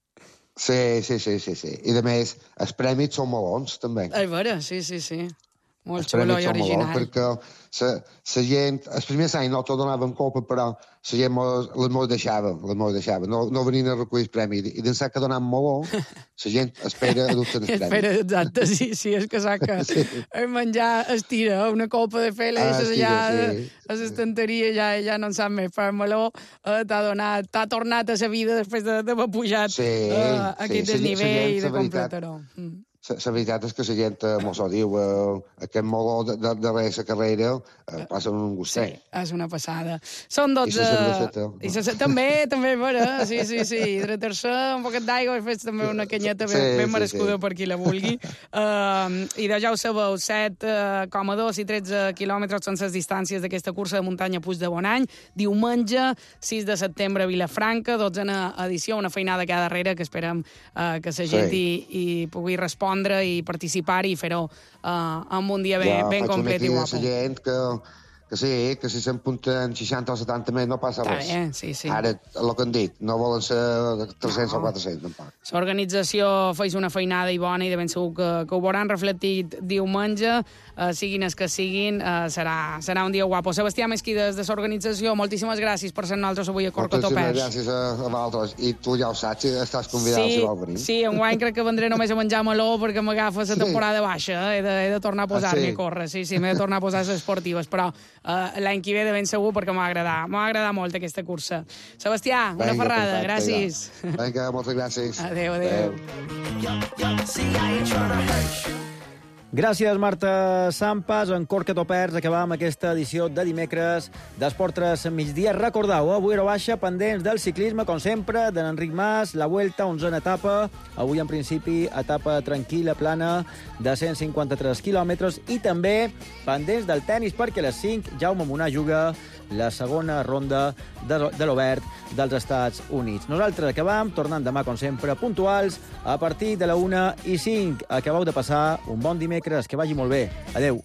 Sí, sí, sí, sí, sí. I, a més, els prèmits són melons, també. És vera, sí, sí, sí. Molt xulo i original. Perquè la gent, el primer any no t'ho donaven copa, però la gent les mos deixava, les mos deixava. No, no venien a recollir el premi. I d'ençà que donen molt bo, la gent espera a dubtar el premi. Espera, exacte, sí, sí, és que sap que sí. menjar estira una copa de Fèlix, ah, ja sí. a l'estanteria ja, ja no en sap més. Per meló eh, t'ha donat, t'ha tornat a la vida després d'haver pujat sí, eh, aquest sí, desnivell de completador. Mm. La veritat és que la gent mos ho diu, eh, aquest moló de, de, de la carrera eh, passa un gustet. Sí, és una passada. Són dotze... I la cerveseta. I la... També, també, vera, sí, sí, sí. Hidratar-se, un poquet d'aigua, i fes també una canyeta ben, sí, ben merescuda sí, sí. per qui la vulgui. Uh, I de ja ho sabeu, set coma dos i tretze quilòmetres són les distàncies d'aquesta cursa de muntanya Puig de Bonany. Diumenge, sis de setembre, a Vilafranca, dotzena edició, una feinada cada darrere que esperem uh, que la gent sí. hi, hi pugui respondre i participar i fer-ho uh, en un dia ben, ja, ben complet i guapo. Ja, faig una gent que, que sí, que si s'empunten seixanta o setanta més no passa res. Eh? Sí, sí. Ara, el que han dit, no volen ser tres-cents no. o quatre-cents, tampoc. L'organització feis una feinada i bona i de ben segur que, que ho veuran reflectit diumenge, uh, siguin els que siguin, uh, serà, serà un dia guapo. Sebastià Mesquí, des de l'organització, moltíssimes gràcies per ser nosaltres avui a Corcotopers. Moltíssimes gràcies a, a vosaltres. I tu ja ho saps, estàs convidat sí, si vols venir. Sí, enguany crec que vendré només a menjar meló perquè m'agafa la temporada sí. baixa. Eh? He, de, he de tornar a posar-me ah, sí? a córrer. Sí, sí, m'he de tornar a posar les esportives, però uh, l'any que ve de ben segur perquè m'ha agradat. M'ha agradat molt aquesta cursa. Sebastià, una Venga, ferrada, perfecte, gràcies. Ja. Vinga, moltes gràcies. Adéu, adéu. Gràcies, Marta Sampas. En Corcotopers acabam aquesta edició de dimecres d'Esport tres migdia. Recordeu, avui hora baixa, pendents del ciclisme, com sempre, de l'Enric Mas, la Vuelta, onzena etapa. Avui, en principi, etapa tranquil·la, plana, de cent cinquanta-tres quilòmetres. I també pendents del tennis, perquè a les cinc Jaume Munar juga la segona ronda de, de l'Obert dels Estats Units. Nosaltres acabam tornant demà, com sempre, puntuals, a partir de la una i cinc. Acabeu de passar un bon dimecres, que vagi molt bé. Adeu.